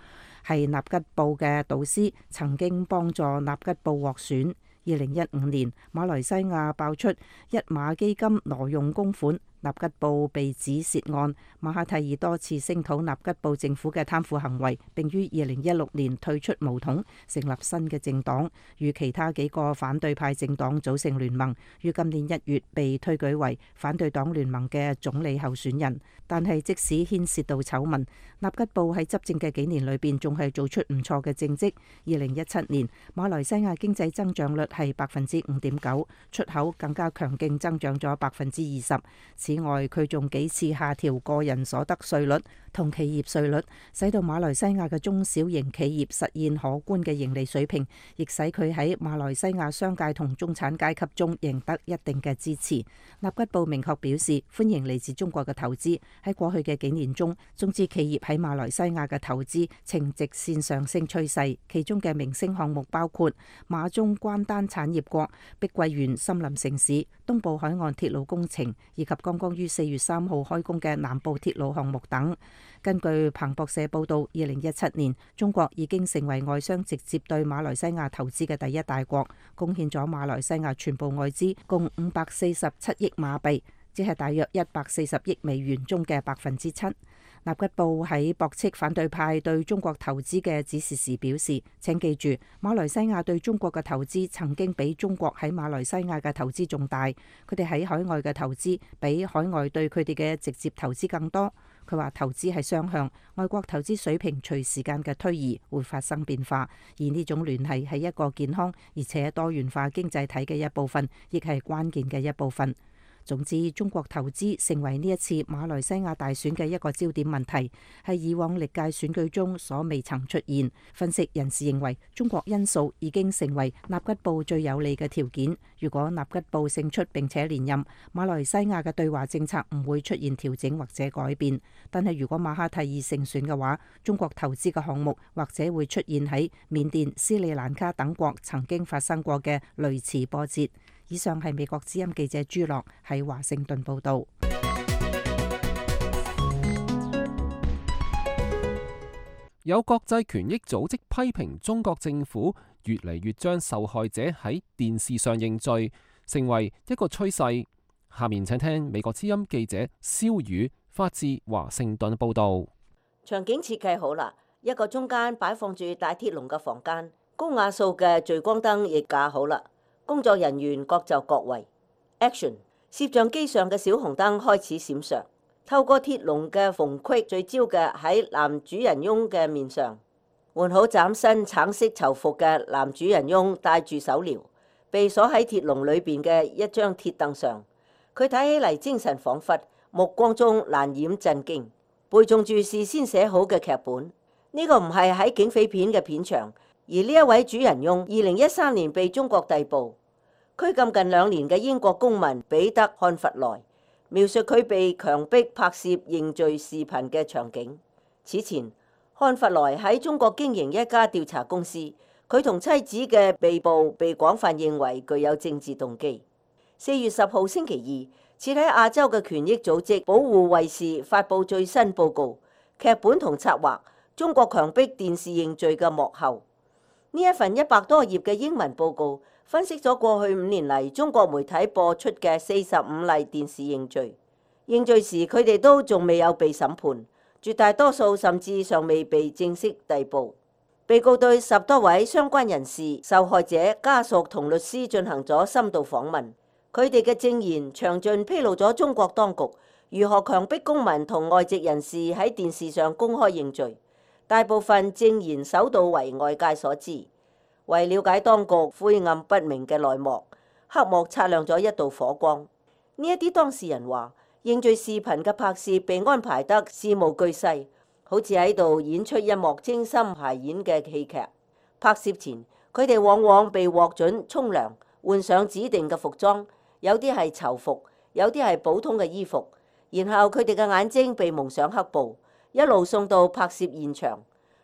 係納吉布嘅導師，曾經幫助納吉布獲選。二零一五年，馬來西亞爆出一馬基金挪用公款，納吉布被指涉案。馬哈蒂爾多次聲討納吉布政府嘅貪腐行為，並於二零一六年退出巫統，成立新嘅政黨，與其他幾個反對派政黨組成聯盟，於今年一月被推舉為反對黨聯盟嘅總理候選人。但係即使牽涉到醜聞，納吉布喺執政嘅幾年裏邊仲係做出唔錯嘅政績。二零一七年，馬來西亞經濟增長率係百分之五點九，出口更加強勁增長咗百分之二十。此外，佢仲幾次下調個人所得稅率同企業稅率，使到馬來西亞嘅中小型企業實現可觀嘅盈利水平，亦使佢喺馬來西亞商界同中產階級中贏得一定嘅支持。納吉布明確表示歡迎嚟自中國嘅投資。喺過去嘅幾年中，中資企業喺馬來西亞嘅投資呈直線上升趨勢，其中嘅明星項目包括馬中關丹產業國、碧桂園森林城市、東部海岸鐵路工程，以及剛剛於四月三號開工嘅南部鐵路項目等。根據彭博社報道，二零一七年中國已經成為外商直接對馬來西亞投資嘅第一大國，貢獻咗馬來西亞全部外資共五百四十七億馬幣，即係大約一百四十億美元中嘅百分之七。納吉布喺駁斥反對派對中國投資嘅指示時表示，請記住，馬來西亞對中國嘅投資曾經比中國喺馬來西亞嘅投資仲大，佢哋喺海外嘅投資比海外對佢哋嘅直接投資更多。佢話投資係雙向，外國投資水平隨時間嘅推移會發生變化，而呢種聯繫係一個健康而且多元化經濟體嘅一部分，亦係關鍵嘅一部分。總之，中國投資成為呢一次馬來西亞大選嘅一個焦點問題，係以往歷屆選舉中所未曾出現。分析人士認為，中國因素已經成為納吉布最有利嘅條件。如果納吉布勝出並且連任，馬來西亞嘅對華政策唔會出現調整或者改變。但係如果馬哈蒂爾勝選嘅話，中國投資嘅項目或者會出現喺緬甸、斯里蘭卡等國曾經發生過嘅類似波折。以上係美國之音記者朱樂喺華盛頓報道。有國際權益組織批評中國政府越嚟越將受害者喺電視上認罪，成為一個趨勢。下面請聽美國之音記者蕭宇發自華盛頓報道。場景設計好啦，一個中間擺放住大鐵籠嘅房間，高雅素嘅聚光燈亦架好啦。工作人員各就各位。Action！ 攝像機上嘅小紅燈開始閃爍，透過鐵籠嘅縫隙聚焦嘅喺男主人翁嘅面上。換好嶄新橙色囚服嘅男主人翁戴住手鐐，被鎖喺鐵籠裏邊嘅一張鐵凳上。佢睇起嚟精神恍惚，目光中難掩震驚，背誦住事先寫好嘅劇本。呢、這個唔係喺警匪片嘅片場。而呢一位主人翁，二零一三年被中國逮捕、拘禁近兩年嘅英國公民彼得漢弗萊，描述佢被強迫拍攝認罪視頻嘅場景。此前，漢弗萊喺中國經營一家調查公司，佢同妻子嘅被捕被廣泛認為具有政治動機。四月十號星期二，設喺亞洲嘅權益組織保護衛士發布最新報告，劇本同策劃中國強迫電視認罪嘅幕後。呢一份一百多頁嘅英文報告分析咗過去五年嚟中國媒體播出嘅四十五例電視認罪。認罪時佢哋都仲未有被審判，絕大多數甚至尚未被正式逮捕。被告對十多位相關人士、受害者家屬同律師進行咗深度訪問，佢哋嘅證言詳盡披露咗中國當局如何強迫公民同外籍人士喺電視上公開認罪，大部分證言首度為外界所知。為了解當局晦暗不明嘅內幕，黑幕擦亮咗一道火光。呢一啲當事人話，認罪視頻嘅拍攝被安排得事無巨細，好似喺度演出一幕精心排演嘅戲劇。拍攝前，佢哋往往被獲准沖涼，換上指定嘅服裝，有啲係囚服，有啲係普通嘅衣服。然後佢哋嘅眼睛被蒙上黑布，一路送到拍攝現場。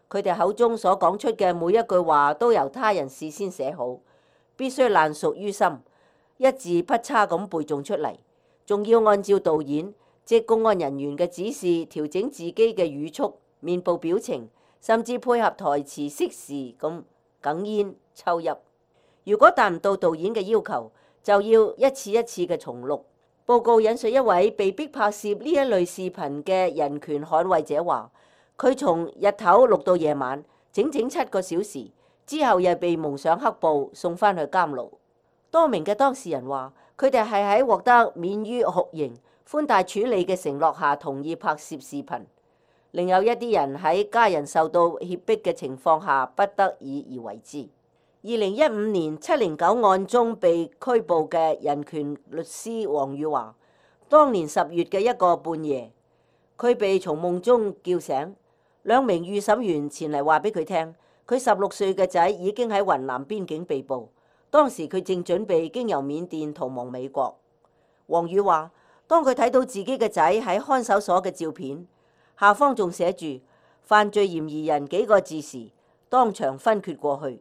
佢哋口中所講出嘅每一句話都由他人事先寫好，必須爛熟於心，一字不差咁背誦出嚟，仲要按照導演即公安人員嘅指示調整自己嘅語速、面部表情，甚至配合台詞適時咁哽咽抽泣。如果達唔到導演嘅要求，就要一次一次嘅重錄。報告引述一位被逼拍攝呢一類視頻嘅人權捍衛者話，佢從日頭錄到夜晚，整整七個小時，之後又被蒙上黑布送返去監牢。多名嘅當事人話，佢哋係喺獲得免於酷刑、寬大處理嘅承諾下同意拍攝視頻。另有一啲人喺家人受到脅迫嘅情況下不得已而為之。二零一五年七零九案中被拘捕嘅人權律師黃宇華，當年十月嘅一個半夜，佢被從夢中叫醒，兩名預審員前嚟話俾佢聽，佢十六歲嘅仔已經喺雲南邊境被捕，當時佢正準備經由緬甸逃亡美國。黃宇話，當佢睇到自己嘅仔喺看守所嘅照片，下方仲寫住犯罪嫌疑人幾個字時，當場昏厥過去。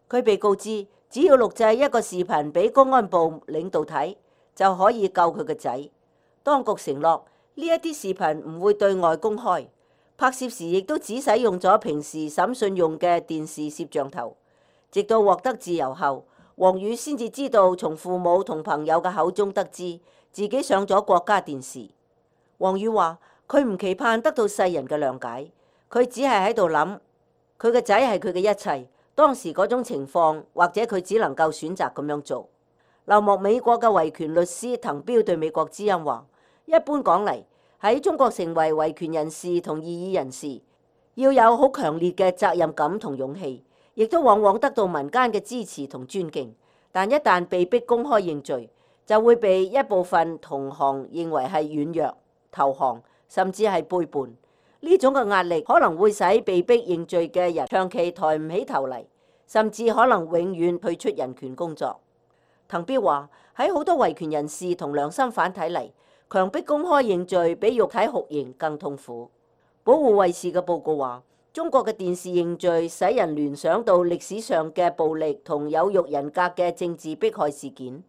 佢被告知，只要錄製一個視頻俾公安部領導睇，就可以救佢嘅仔。當局承諾呢一啲視頻唔會對外公開，拍攝時亦都只使用咗平時審訊用嘅電視攝像頭。直到獲得自由後，黃宇先至知道，從父母同朋友嘅口中得知自己上咗國家電視。黃宇話，佢唔期盼得到世人嘅諒解，佢只係喺度諗，佢嘅仔係佢嘅一切。當時嗰種情況，或者佢只能夠選擇咁樣做。流亡美國嘅維權律師滕彪對美國之音話，一般講嚟，喺中國成為維權人士同異議人士，要有好強烈嘅責任感同勇氣，亦都往往得到民間嘅支持同尊敬。但一旦被逼公開認罪，就會被一部分同行認為係軟弱、投降，甚至係背叛。呢種嘅壓力可能會使被逼認罪嘅人長期抬唔起頭嚟，甚至可能永遠退出人權工作。滕彪話，喺好多維權人士同良心犯睇嚟，強迫公開認罪比肉體酷刑更痛苦。保護衛士嘅報告話，中國嘅電視認罪使人聯想到歷史上嘅暴力同有辱人格嘅政治迫害事件。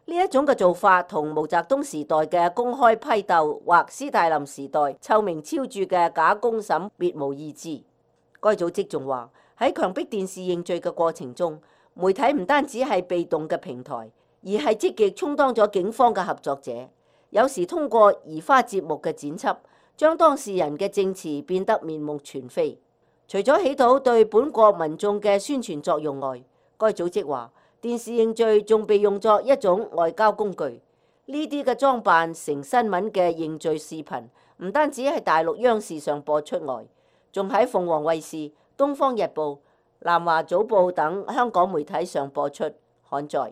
呢一種嘅做法同毛澤東時代嘅公開批鬥或斯大林時代臭名昭著嘅假公審別無二致。該組織仲話，喺強迫電視認罪嘅過程中，媒體唔單止係被動嘅平台，而係積極充當咗警方嘅合作者。有時通過移花接木嘅剪輯，將當事人嘅證詞變得面目全非。除咗起到對本國民眾嘅宣傳作用外，該組織話，電視認罪仲被用作一種外交工具。呢啲嘅裝扮成新聞嘅認罪視頻，唔單止喺大陸央視上播出外，仲喺鳳凰衛視、東方日報、南華早報等香港媒體上播出刊載。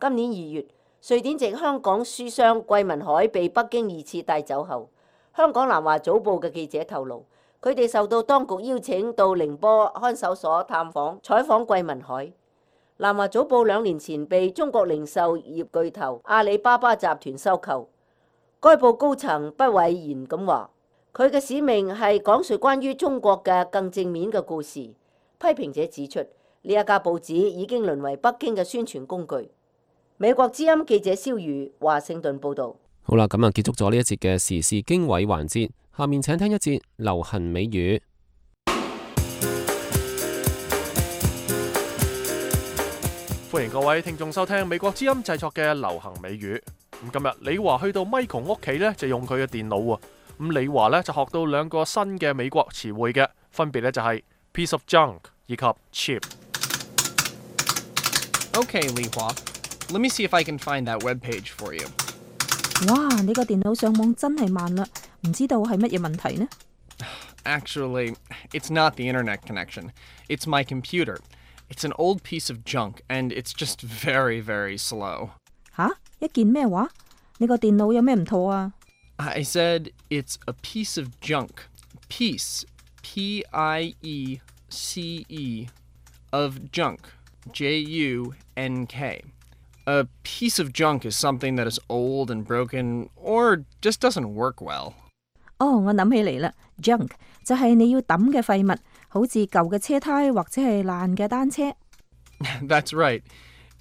今年二月，瑞典籍香港書商桂民海被北京二次帶走後，香港南華早報嘅記者透露，佢哋受到當局邀請到寧波看守所探訪採訪桂民海。南華早報兩年前被中國零售業巨頭阿里巴巴集團收購。該報高層不諱言咁話，佢嘅使命係講述關於中國嘅更正面嘅故事。批評者指出，呢一家報紙已經淪為北京嘅宣傳工具。美國之音記者蕭宇華盛頓報導。好啦，咁啊結束咗呢一節嘅時事經緯環節，下面請聽一節流行美語。歡迎各位聽眾收聽美國之音製作嘅流行美語。咁今日李華去到 Michael 屋企咧，就用佢嘅電腦喎。咁李華咧就學到兩個新嘅美國詞彙嘅，分別咧就係 piece of junk 以及 cheap。Okay, Li Hua. Let me see if I can find that web page for you. 哇，你個電腦上網真係慢啦，唔知道係乜嘢問題呢？ Actually, it's not the internet connection. It's my computer. It's an old piece of junk, and it's just very, very slow. 吓？一件咩話？你個電腦有咩唔妥啊？ I said it's a piece of junk. Piece, P I E C E, of junk, J U N K. A piece of junk is something that is old and broken or just doesn't work well. 哦，我諗起嚟啦 ，junk 就係你要抌嘅廢物，好似舊嘅車胎或者係爛嘅單車。That's right.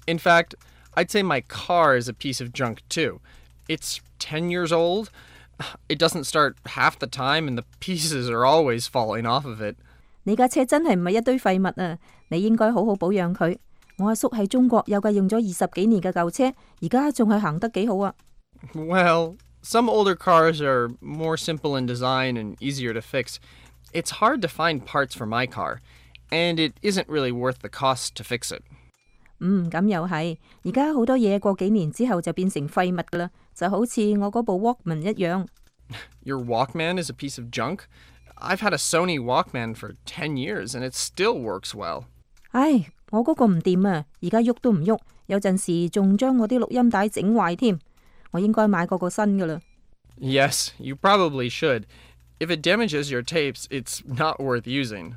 In fact, I'd say my car is a piece of junk too. It's ten years old. It doesn't start half the time and the pieces are always falling off of it. 你架車真係唔係一堆廢物啊！你應該好好保養佢。我阿叔喺中國有架用咗二十幾年嘅舊車，而家仲係行得幾好啊。Well, some older cars are more simple in design and easier to fix. It's hard to find parts for my car, and it isn't really worth the cost to fix it. 嗯，咁又係。而家好多嘢過幾年之後就變成廢物噶啦，就好似我嗰部 Walkman 一樣。Your Walkman is a piece of junk? I've had a Sony Walkman for ten years, and it still works well. 唉，我嗰個唔掂啊，而家喐都唔喐，有陣時仲將我啲錄音帶整壞添。我應該買個個新噶啦。Yes, you probably should. If it damages your tapes, it's not worth using.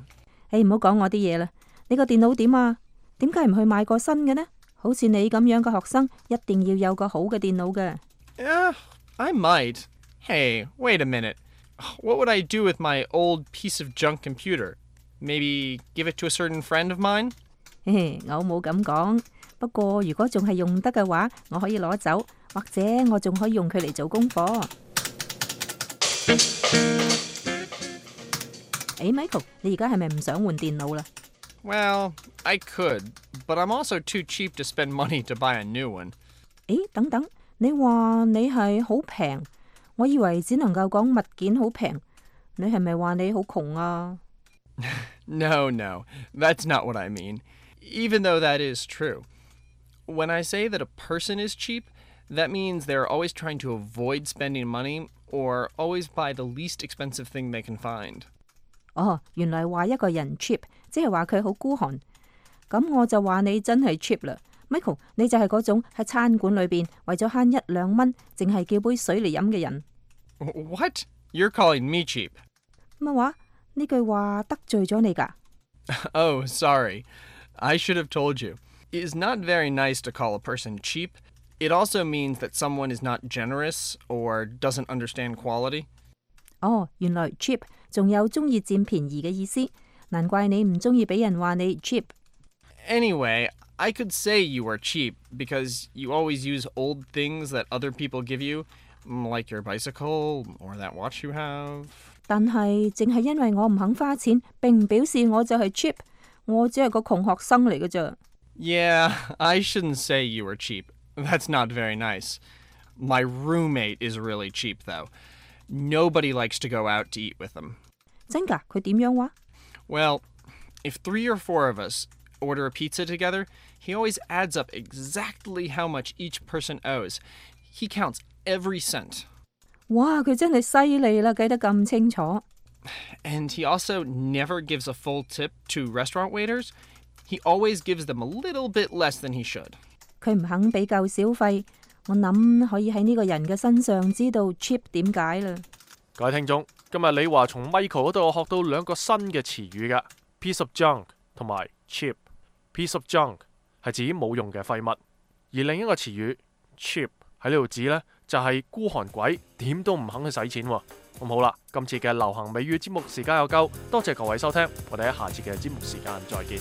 誒，唔好講我啲嘢啦。你個電腦點啊？點解唔去買個新嘅呢？好似你咁樣嘅學生，一定要有個好嘅電腦嘅。Yeah, I might. Hey, wait a minute. What would I do with my old piece of junk computer? Maybe give it to a certain friend of mine? 嘿嘿，我冇咁講。不過如果仲係用得嘅話，我可以攞走，或者我仲可以用佢嚟做功課。誒 ，Michael， 你而家係咪唔想換電腦啦？ Well, I could, but I'm also too cheap to spend money to buy a new one. 誒，等等，你話你係好平，我以為只能夠講物件好平，你係咪話你好窮啊？ No, no, that's not what I mean, even though that is true. When I say that a person is cheap, that means they're always trying to avoid spending money or always buy the least expensive thing they can find. 哦，原來話一個人 cheap， 即係話佢好孤寒。咁我就話你真係 cheap 啦 ，Michael， 你就係嗰種喺餐館裏邊為咗慳一兩蚊，淨係叫杯水嚟飲嘅人。What? You're calling me cheap? 乜話？呢句話得罪咗你㗎？ Oh, sorry. I should have told you. It is not very nice to call a person cheap. It also means that someone is not generous or doesn't understand quality. 哦，原來 cheap 仲有中意佔便宜嘅意思，難怪你唔中意俾人話你 cheap。 Anyway, I could say you are cheap because you always use old things that other people give you, like your bicycle or that watch you have. 但係淨係因為我唔肯花錢，並唔表示我就係 cheap。我只係個窮學生嚟嘅咋。Yeah, I shouldn't say you were cheap. That's not very nice. My roommate is really cheap, though. Nobody likes to go out to eat with him. 真㗎？佢點樣話？ Well, if three or four of us order a pizza together, he always adds up exactly how much each person owes. He counts every cent. 哇，佢真係犀利啦，計得咁清楚。 And he also never gives a full tip to restaurant waiters. He always gives them a little bit less than he should. 佢唔肯俾夠小費，我諗可以喺呢個人嘅身上知道 cheap 點解啦。各位聽眾，今日李華從 Michael 嗰度學到兩個新嘅詞語㗎 ，piece of junk 同埋 cheap。piece of junk 係指冇用嘅廢物，而另一個詞語 cheap 喺呢度指呢，就係孤寒鬼，點都唔肯去使錢喎。咁好啦，今次嘅流行美語節目時間又夠，多謝各位收聽，我哋喺下次嘅節目時間再見。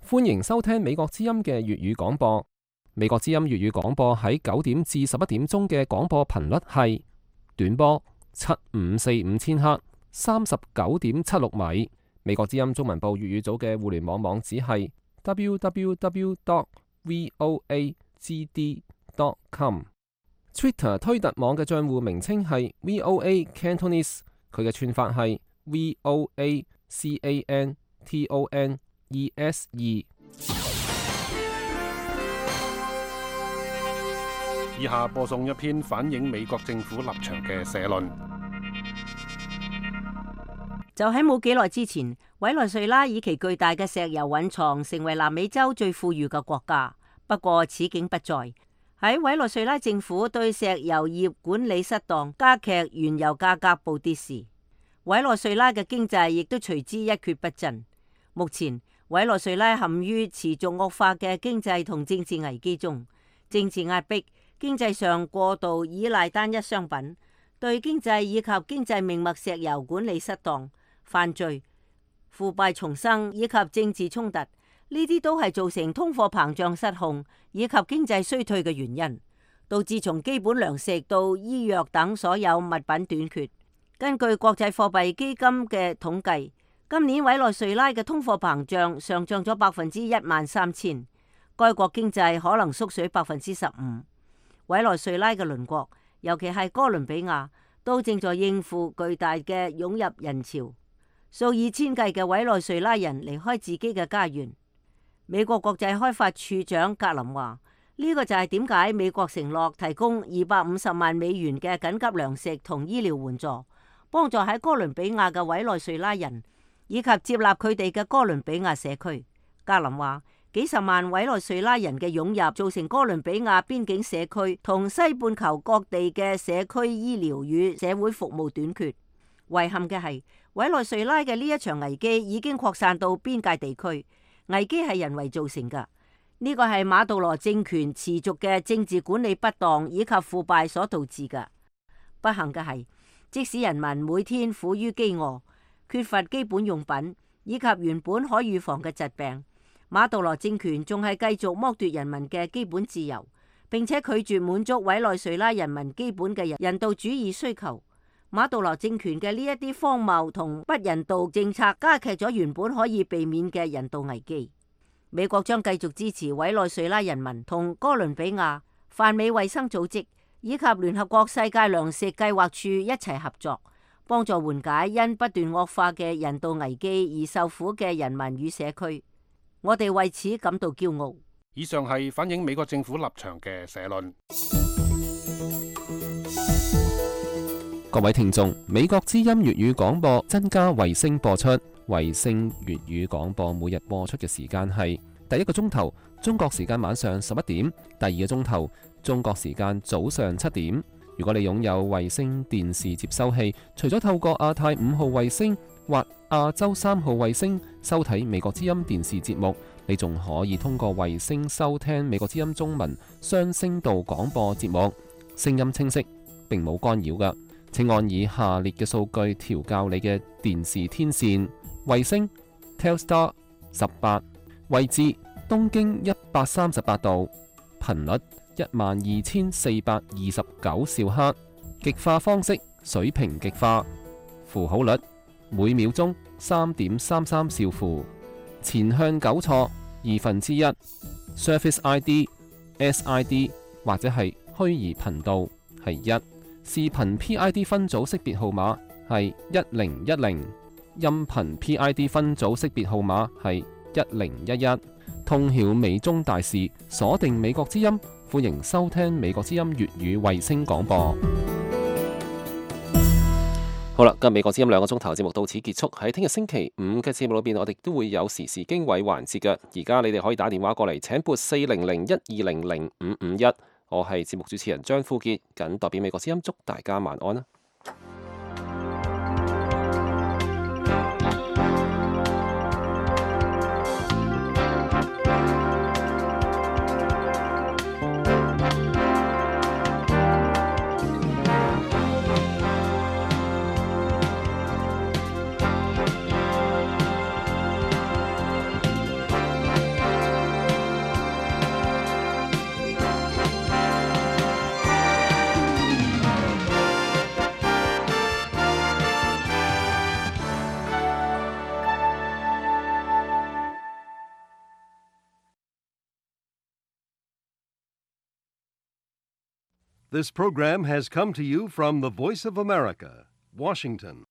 歡迎收聽美國之音嘅粵語廣播。美國之音粵語廣播喺九點至十一點鐘嘅廣播頻率係短波七五四五千赫，三十九點七六米。美國之音中文部粵語組嘅互聯網網址係 double-u double-u double-u dot voa g d dot com。Twitter 推特網嘅賬戶名稱係 V O A Cantonese， 佢嘅串法係 V O A C A N T O N E S 二。以下播送一篇反映美國政府立場嘅社論。就喺冇幾耐之前，委內瑞拉以其巨大嘅石油蘊藏成為南美洲最富裕嘅國家。不過此景不再。喺委內瑞拉政府對石油業管理失當，加劇原油價格暴跌時，委內瑞拉嘅經濟亦都隨之一蹶不振。目前委內瑞拉陷於持續惡化嘅經濟同政治危機中，政治壓迫、經濟上過度依賴單一商品、對經濟以及經濟命脈石油管理失當、犯罪、腐敗叢生以及政治衝突，呢啲都係造成通貨膨脹失控以及經濟衰退嘅原因，導致從基本糧食到醫藥等所有物品短缺。根據國際貨幣基金嘅統計，今年委內瑞拉嘅通貨膨脹上漲咗百分之一萬三千，該國經濟可能縮水百分之十五。委內瑞拉嘅鄰國，尤其係哥倫比亞，都正在應付巨大嘅湧入人潮。數以千計嘅委內瑞拉人離開自己嘅家園。美國國際開發處長格林話：呢個就係點解美國承諾提供二百五十萬美元嘅緊急糧食同醫療援助，幫助喺哥倫比亞嘅委內瑞拉人，以及接納佢哋嘅哥倫比亞社區。格林話：幾十萬委內瑞拉人嘅湧入，造成哥倫比亞邊境社區同西半球各地嘅社區醫療與社會服務短缺。遺憾嘅係，委內瑞拉嘅呢一場危機已經擴散到邊界地區，危機係人為造成㗎。呢個係馬杜羅政權持續嘅政治管理不當以及腐敗所導致㗎。不幸嘅係，即使人民每天苦於飢餓、缺乏基本用品以及原本可預防嘅疾病，馬杜羅政權仲係繼續剝奪人民嘅基本自由，並且拒絕滿足委內瑞拉人民基本嘅人道主義需求。馬杜羅政權嘅呢一啲荒謬同不人道政策，加劇咗原本可以避免嘅人道危機。美國將繼續支持委內瑞拉人民同哥倫比亞、泛美衛生組織以及聯合國世界糧食計劃處一齊合作，幫助緩解因不斷惡化嘅人道危機而受苦嘅人民與社區。我哋為此感到驕傲。以上係反映美國政府立場嘅社論。各位聽眾，美國之音粵語廣播增加衛星播出。衛星粵語廣播每日播出嘅時間係第一個鐘頭中國時間晚上十一點，第二個鐘頭中國時間早上七點。如果你擁有衛星電視接收器，除咗透過亞太五號衛星或亞洲三號衛星收睇美國之音電視節目，你仲可以通過衛星收聽美國之音中文雙聲道廣播節目，聲音清晰，並冇干擾㗎。請按以下列嘅數據調校你嘅電視天線：衛星 Telstar 十八，位置東經一百三十八度，頻率一萬二千四百二十九兆赫，極化方式水平極化，符號率每秒鐘三點三三兆符，前向糾錯二分之一 ，Service I D S I D 或者係虛擬頻道係一。視頻 P I D 分組識別號碼係一零一零，音頻 P I D 分組識別號碼係一零一一。通曉美中大事，鎖定美國之音，歡迎收聽美國之音粵語衛星廣播。好啦，今日美國之音兩個鐘頭節目到此結束。喺聽日星期五嘅節目裏邊，我哋都會有時事經緯環節嘅。而家你哋可以打電話過嚟，請撥四零零一二零零五五一。我係節目主持人張富傑，謹代表美國之音祝大家晚安啦。This program has come to you from the Voice of America, Washington.